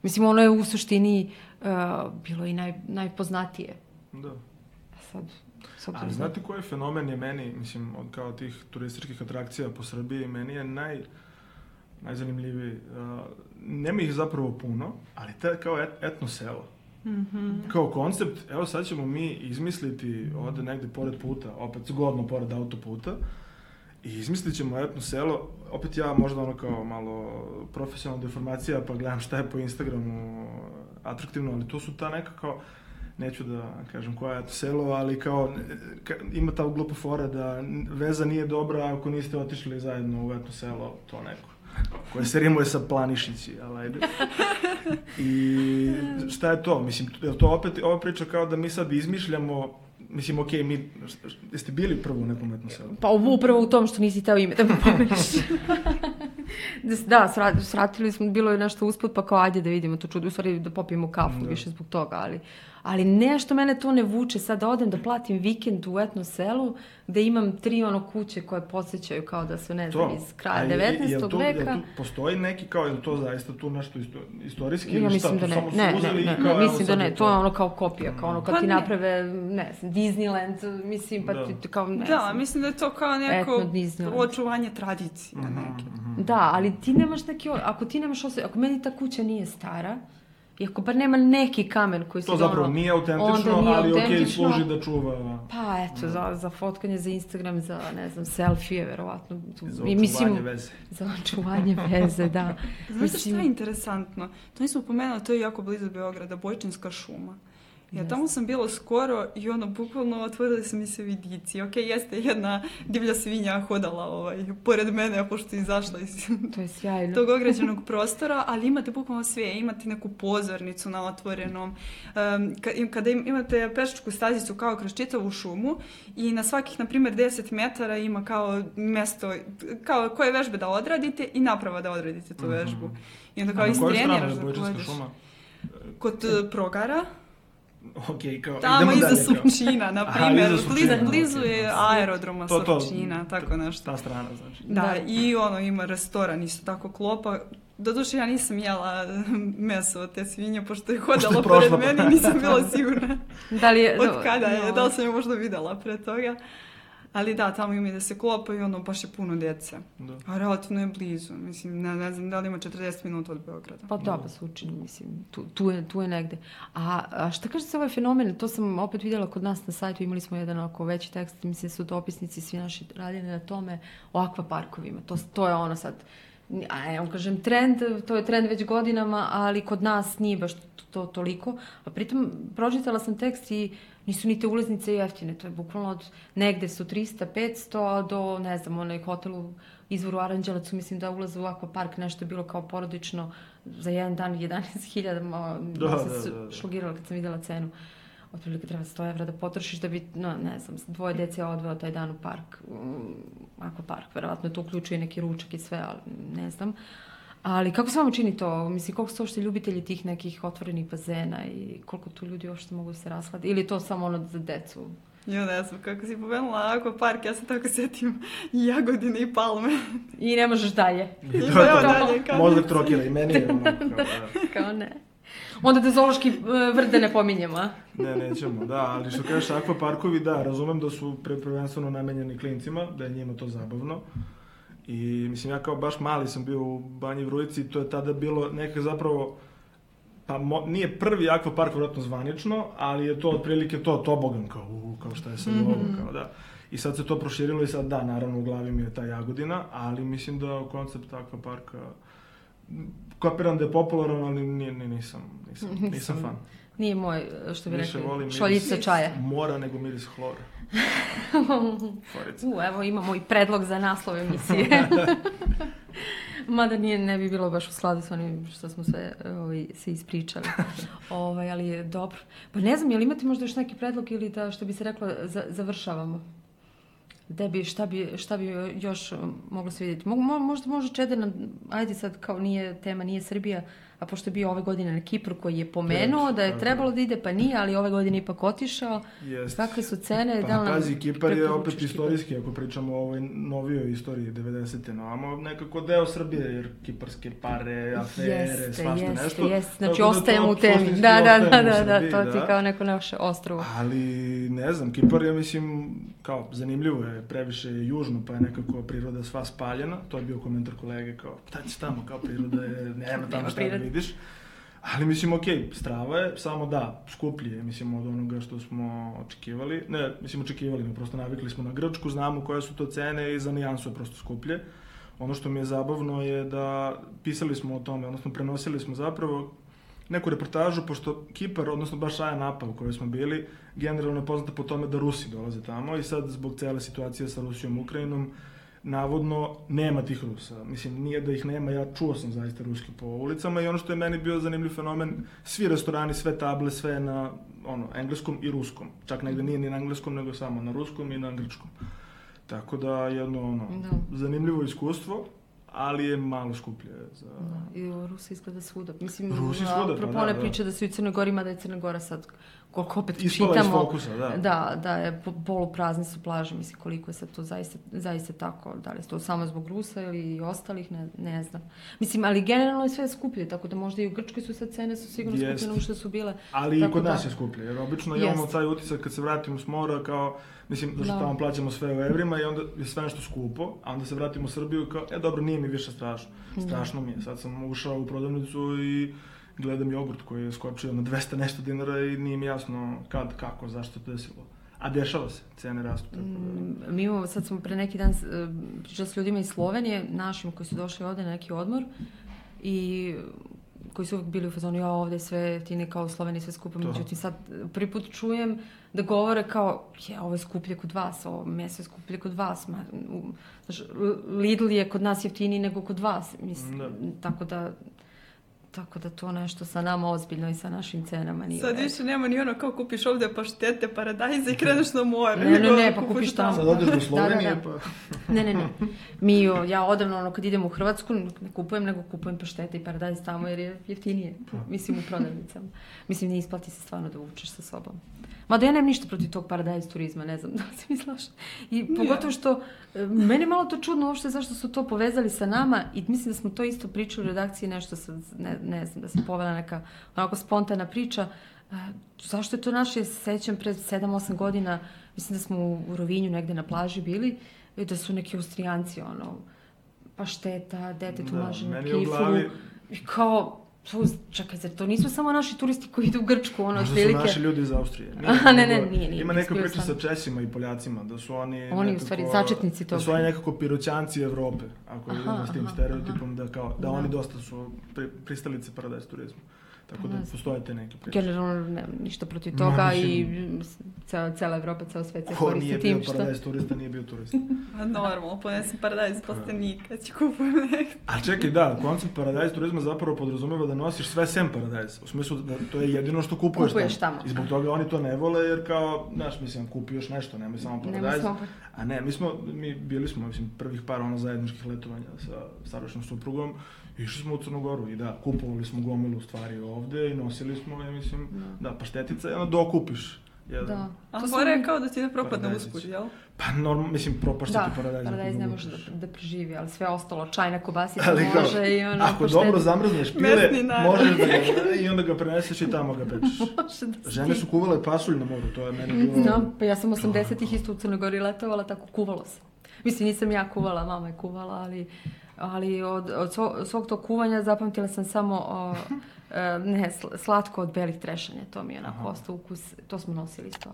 S1: Mislim, ono je u suštini bilo i najpoznatije.
S3: Da. Ali znate koji fenomen je meni, mislim, od kao tih turističkih atrakcija po Srbiji, meni je najzanimljiviji. Nema ih zapravo puno, ali to je kao etno selo. Mm-hmm. Kao koncept, evo sad ćemo mi izmisliti ovde negde pored puta, opet zgodno pored autoputa, i izmislit ćemo etno selo, opet ja možda kao malo profesionalna deformacija, pa gledam šta je po Instagramu atraktivno, ali to su ta neka kao, neću da kažem koja je to selo, ali kao ima ta glupa fora da veza nije dobra ako niste otišli zajedno u etno selo, to neko. Koje se rimuje sa Planišići, ali ajde. I šta je to? Mislim, je to opet ova priča kao da mi sad izmišljamo, mislim, okej, jeste bili prvo u nekom etnom selu?
S1: Pa upravo u tom što nisi teo ime da me pomeniš. Da, sratili smo, bilo je nešto usput, pa kao ajde da vidimo to čudo, u stvari da popijemo kafu više zbog toga, ali nešto mene to ne vuče, sad da odem da platim vikend u etno selu, gde imam 3 kuće koje podsjećaju kao da su, ne znam, iz kraja 19. veka.
S3: Jel tu postoji neki kao, je to zaista tu nešto istorijski?
S1: Ja mislim da ne, mislim da ne, to je kao kopija, kao kad ti naprave, ne znam, Disneyland, mislim, pa ti kao, ne znam.
S4: Da, mislim da je to kao neko očuvanje tradicije.
S1: Da, ali ti nemaš neki, ako ti nemaš osjećaj, ako meni ta kuća nije stara, i ako bar nema neki kamen koji se
S3: to zapravo nije autentično, ali okej, služi da čuva.
S1: Pa eto, za fotkanje, za Instagram, za, ne znam, selfije, verovatno.
S3: Za očuvanje veze.
S1: Za očuvanje veze, da.
S4: Znate šta je interesantno? To nismo pomenuli, to je jako blizu Beograda, Bojčinska šuma. Ja tamo sam bila skoro i bukvalno otvorili su mi se vidici. Okej, jeste jedna divlja svinja hodala pored mene, pošto je izašla iz tog ograđenog prostora, ali imate bukvalno sve. Imate neku pozornicu na otvorenom. Kada imate pešačku stazicu kao kroz čitavu šumu i na svakih, na primjer, 10 metara ima kao mesto, kao koje vežbe da odradite i naprava da odradite tu vežbu. I onda kao istreniraš da pojediš. Kod Progara.
S3: Okay, kao,
S4: tamo iza Surčina, na primjer, blizu je aerodroma Surčina, tako nešto.
S3: Ta strana, znači.
S4: Da, i ima restoran, isto tako klopa, Doduše, ja nisam jela meso od te svinje, pošto je hodala pored mene i nisam bila sigurna od kada je. Da li sam je možda videla pre toga. Ali da, tamo ima da se klopa i ono baš je puno djece. Da. A relativno je blizu. Mislim, ne znam da li ima 40 minuta od Beograda.
S1: Pa da, pa se učini, mislim, tu je negde. A šta kaže se ovaj fenomen? To sam opet vidjela kod nas na sajtu, imali smo jedan oko veći tekst, mislim su dopisnici, svi naši radili na tome, o akvaparkovima. To je ono sad, ja kažem trend, to je trend već godinama, ali kod nas nije baš to toliko. A pritom pročitala sam tekst i nisu ni te ulaznice jeftine, to je bukvalno od negde su 300-500 do, ne znam, onaj hotel u Izvoru Aranđelovcu, mislim da ulaze u akvapark, nešto je bilo kao porodično za jedan dan 11.000, da se šlogirala kad sam vidjela cenu. Otprilike treba 100 evra da potrošiš da bi, ne znam, 2 djece odveo taj dan u park, akvapark, verovatno to uključuje neki ručak i sve, ali ne znam. Ali kako se vama čini to? Mislim, koliko su uopšte ljubitelji tih nekih otvorenih bazena i koliko tu ljudi uopšte mogu se rasladiti? Ili to samo ono za decu?
S4: Jo, ne znam, kako si pomenula akvapark, ja se tako sjetim i Jagodine i Palme.
S1: I ne možeš dalje.
S3: Možda Trokira i meni je ono.
S1: Kao ne. Onda da zoološki vrt da ne pominjemo, a?
S3: Ne, nećemo, da, ali što kažeš akvaparkovi, da, razumem da su prvenstveno namenjeni klincima, da je njima to zabavno. I mislim, ja kao baš mali sam bio u Banji Vrujci, to je tada bilo neka zapravo, pa nije prvi akvapark vjerojatno zvanično, ali je to otprilike to tobogan, kao šta je sad ovo, kao da. I sad se to proširilo i sad da, naravno u glavi mi je ta Jagodina, ali mislim da koncept akvaparka, kapiram da je popularan, ali nisam fan.
S1: Nije moj, što bi rekli, šoljica čaja.
S3: Mora nego miris hlora.
S1: Evo imamo i predlog za naslov emisije. Mada ne bi bilo baš u skladu s onim što smo sve se ispričali. Ali je dobro. Pa ne znam, je li imate možda još neki predlog ili da, što bi se reklo, završavamo? Šta bi još moglo se vidjeti? Možda može Čeder, ajde sad kao nije Srbija, a pošto je bio ove godine na Kipru koji je pomenuo da je trebalo da ide, pa nije, ali ove godine ipak otišao. Kakve su cene?
S3: Pa pazi, Kipar je opet istorijski, ako pričamo o ovoj novijoj istoriji 90-te, no, nekako deo Srbije, jer kiparske pare, afere, svašta nešto.
S1: Znači ostajemo u temi. Da, to ti kao neko naše ostrovo.
S3: Ali, ne znam, Kipar je, mislim, kao zanimljivo je, previše je južno, pa je nekako priroda sva spaljena. To je bio komentar kolege, kao, šta će tamo, kao priroda je, nema tamo šta da vidiš. Ali mislim, strava je, samo da, skuplje je, mislim, od onoga što smo očekivali. Ne, mislim, očekivali, prosto navikli smo na Grčku, znamo koje su to cene i za nijansu je prosto skuplje. Ono što mi je zabavno je da pisali smo o tome, odnosno prenosili smo zapravo neku reportažu, pošto Kipar, odnosno baš Aja Napa u kojoj smo bili, generalno je poznata po tome da Rusi dolaze tamo i sad zbog cele situacije sa Rusijom i Ukrajinom, navodno nema tih Rusa. Mislim, nije da ih nema, ja čuo sam zaista ruski po ulicama i ono što je meni bio zanimljiv fenomen, svi restorani, sve table, sve na engleskom i ruskom. Čak negde nije ni na engleskom, nego samo na ruskom i na grčkom. Tako da jedno zanimljivo iskustvo, ali je malo skuplje za...
S1: Da, i Rusi izgleda svuda. Mislim, propone priče da su i Crnoj Gori, mada je Crna Gora sad, koliko opet čitamo... Iz
S3: fokusa, da.
S1: Da je poluprazne su plaže, mislim, koliko je sad to zaista tako. Da li je to samo zbog Rusa ili ostalih, ne znam. Mislim, ali generalno je sve skuplje, tako da možda i u Grčkoj su sad cene su sigurno skuplje nego što su bile.
S3: Ali i kod nas je skuplje, jer obično imamo taj utisak kad se vratimo s mora kao... Mislim, da što tamo plaćamo sve u evrima i onda je sve nešto skupo, a onda se vratimo u Srbiju kao, dobro, nije mi više strašno. Strašno mi je. Sad sam ušao u prodavnicu i gledam jogurt koji je skočio na 200 nešto dinara i nije mi jasno kad, kako, zašto to desilo. A dešava se, cene rastu.
S1: Mi imamo, sad smo pre neki dan pričali s ljudima iz Slovenije, našim koji su došli ovde na neki odmor i koji su uvijek bili u fazonu, ovdje sve jeftine kao u Sloveniji, sve skupo. Međutim, sad prvi put čujem da govore kao, ovo je skuplje kod vas, ovo meso je skuplje kod vas. Lidl je kod nas jeftiniji nego kod vas. Mislim, tako da to nešto sa nama ozbiljno i sa našim cenama nije.
S4: Sad više nema ni ono kao kupiš ovdje paštete, paradajze i kreneš na more.
S1: Ne, pa kupiš tamo.
S3: Sad odeš do Slovenije pa...
S1: Ne. Ja odavno kad idem u Hrvatsku ne kupujem, nego kupujem paštete i paradajz tamo jer je jeftinije. Mislim u prodavnicama. Mislim, ne isplati se stvarno da vučeš sa sobom. Mada ja nemam ništa protiv tog paradajz turizma, ne znam da li si mi slaša. I pogotovo što, meni je malo to čudno uopšte zašto su to povezali sa nama i mislim da smo to isto pričali u redakciji, nešto ne znam, da se povela neka onako spontana priča. Zašto je to naše, sećam, pred 7-8 godina, mislim da smo u Rovinju negde na plaži bili, da su neki Austrijanci, pašteta, detetu maženu kiflu, i kao, čekaj, zar to nisu samo naši turisti koji idu u Grčku,
S3: možda su naši ljudi iz Austrije.
S1: Nije.
S3: Ima neka priča sa Česima i Poljacima, da su oni
S1: u stvari začetnici toga.
S3: Da su oni nekako piroćanci Evrope, ako idemo s tim stereotipom, da oni dosta su pristalice paradajz turizma. Tako da postoje te neke priče.
S1: Generalno nemam ništa protiv toga i cela Evropa, ceo svet se koristi tim što...
S3: Ko nije bio paradajz turista, nije bio turista.
S4: Normalno, ponesem paradajz plastenika, ću kupujem nekako.
S3: A čekaj, da, koncept paradajz turizma zapravo podrazumeva da nosiš sve sem paradajz. U smislu da to je jedino što kupuješ tamo. I zbog toga oni to ne vole, jer kao, znaš, mislim, kupi još nešto, nemoj samo paradajz. A ne, mi bili smo, prvih par zajedničkih letovanja sa starošnom suprugom. Išli smo u Crnu Goru i da, kupovali smo gomilu stvari ovde i nosili smo, paštetica i onda dokupiš.
S4: Da. A mora je kao da ti ne propadne usput, jel?
S3: Pa normalno, propašta ti paradajz.
S1: Da, paradajz ne može da preživi, ali sve ostalo, čajna kobasica može i ono...
S3: Ako dobro zamrzneš pile, možeš da ga i onda ga preneseš i tamo ga pečeš. Žene su kuvale pasulj na moru, to je meni bilo...
S1: Da, pa ja sam 80-ih isto u Crnoj Gori letovala, tako kuvalo se. Mislim, nisam ja kuvala, mama je kuvala, ali od svog tog kuvanja zapamtila sam samo slatko od belih trešanja, to mi je onako ostao ukus, to smo nosili isto,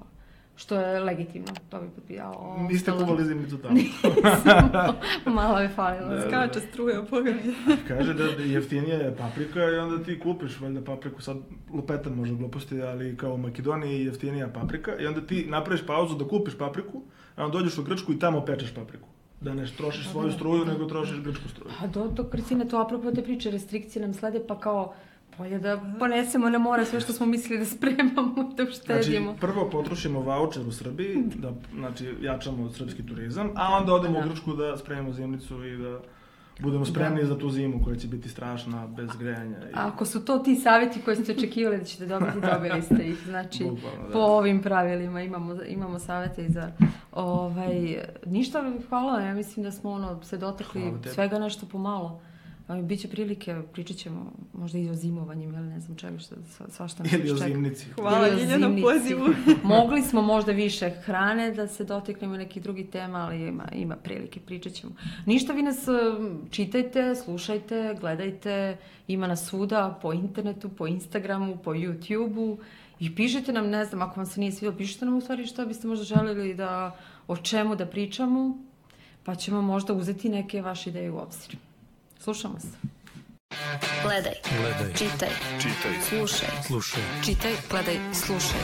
S1: što je legitimno, to bi potpijao.
S3: Niste kuvali zimnicu tamo?
S1: Nisam, malo je falilo.
S4: Skača struja u pogledu.
S3: Kaže da jeftinija je paprika i onda ti kupiš valjda papriku, sad lupetan možda gluposti, ali kao u Makedoniji je jeftinija paprika i onda ti napraviš pauzu da kupiš papriku, a onda dođeš u Grčku i tamo pečeš papriku. Da ne trošiš svoju struju, nego trošiš grčku struju.
S1: A Kristina, to apropo te priče, restrikcije nam slede, pa kao bolje da ponesemo na more sve što smo mislili da spremamo, da uštedimo.
S3: Znači, prvo potrošimo vaučer u Srbiji, da jačamo srpski turizam, a onda odemo u Grčku da spremimo zimnicu i da budemo spremni za tu zimu koja će biti strašna, bez grejanja.
S1: Ako su to ti savjeti koje ste očekivali da ćete dobiti, dobili ste ih. Znači, po ovim pravilima imamo savjete i za... Ništa, hvala, ja mislim da smo se dotakli svega nešto pomalo. Biće prilike, pričat ćemo možda i o zimovanjem, ili ne znam čega, svašta nas čeka.
S3: Ili o zimnici.
S4: Hvala Ljiljana pozivu.
S1: Mogli smo možda više hrane da se dotaknemo nekih drugih tema, ali ima prilike, pričat ćemo. Ništa, vi nas čitajte, slušajte, gledajte, ima nas svuda, po internetu, po Instagramu, po YouTubeu i pišite nam, ne znam, ako vam se nije svidjelo, pišite nam u stvari šta biste možda želili o čemu da pričamo, pa ćemo možda uzeti neke vaše ideje u obzir. Slušamo se.
S2: Gledaj. Čitaj. Slušaj. Čitaj, gledaj, slušaj.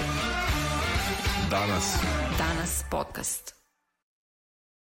S2: Danas podcast.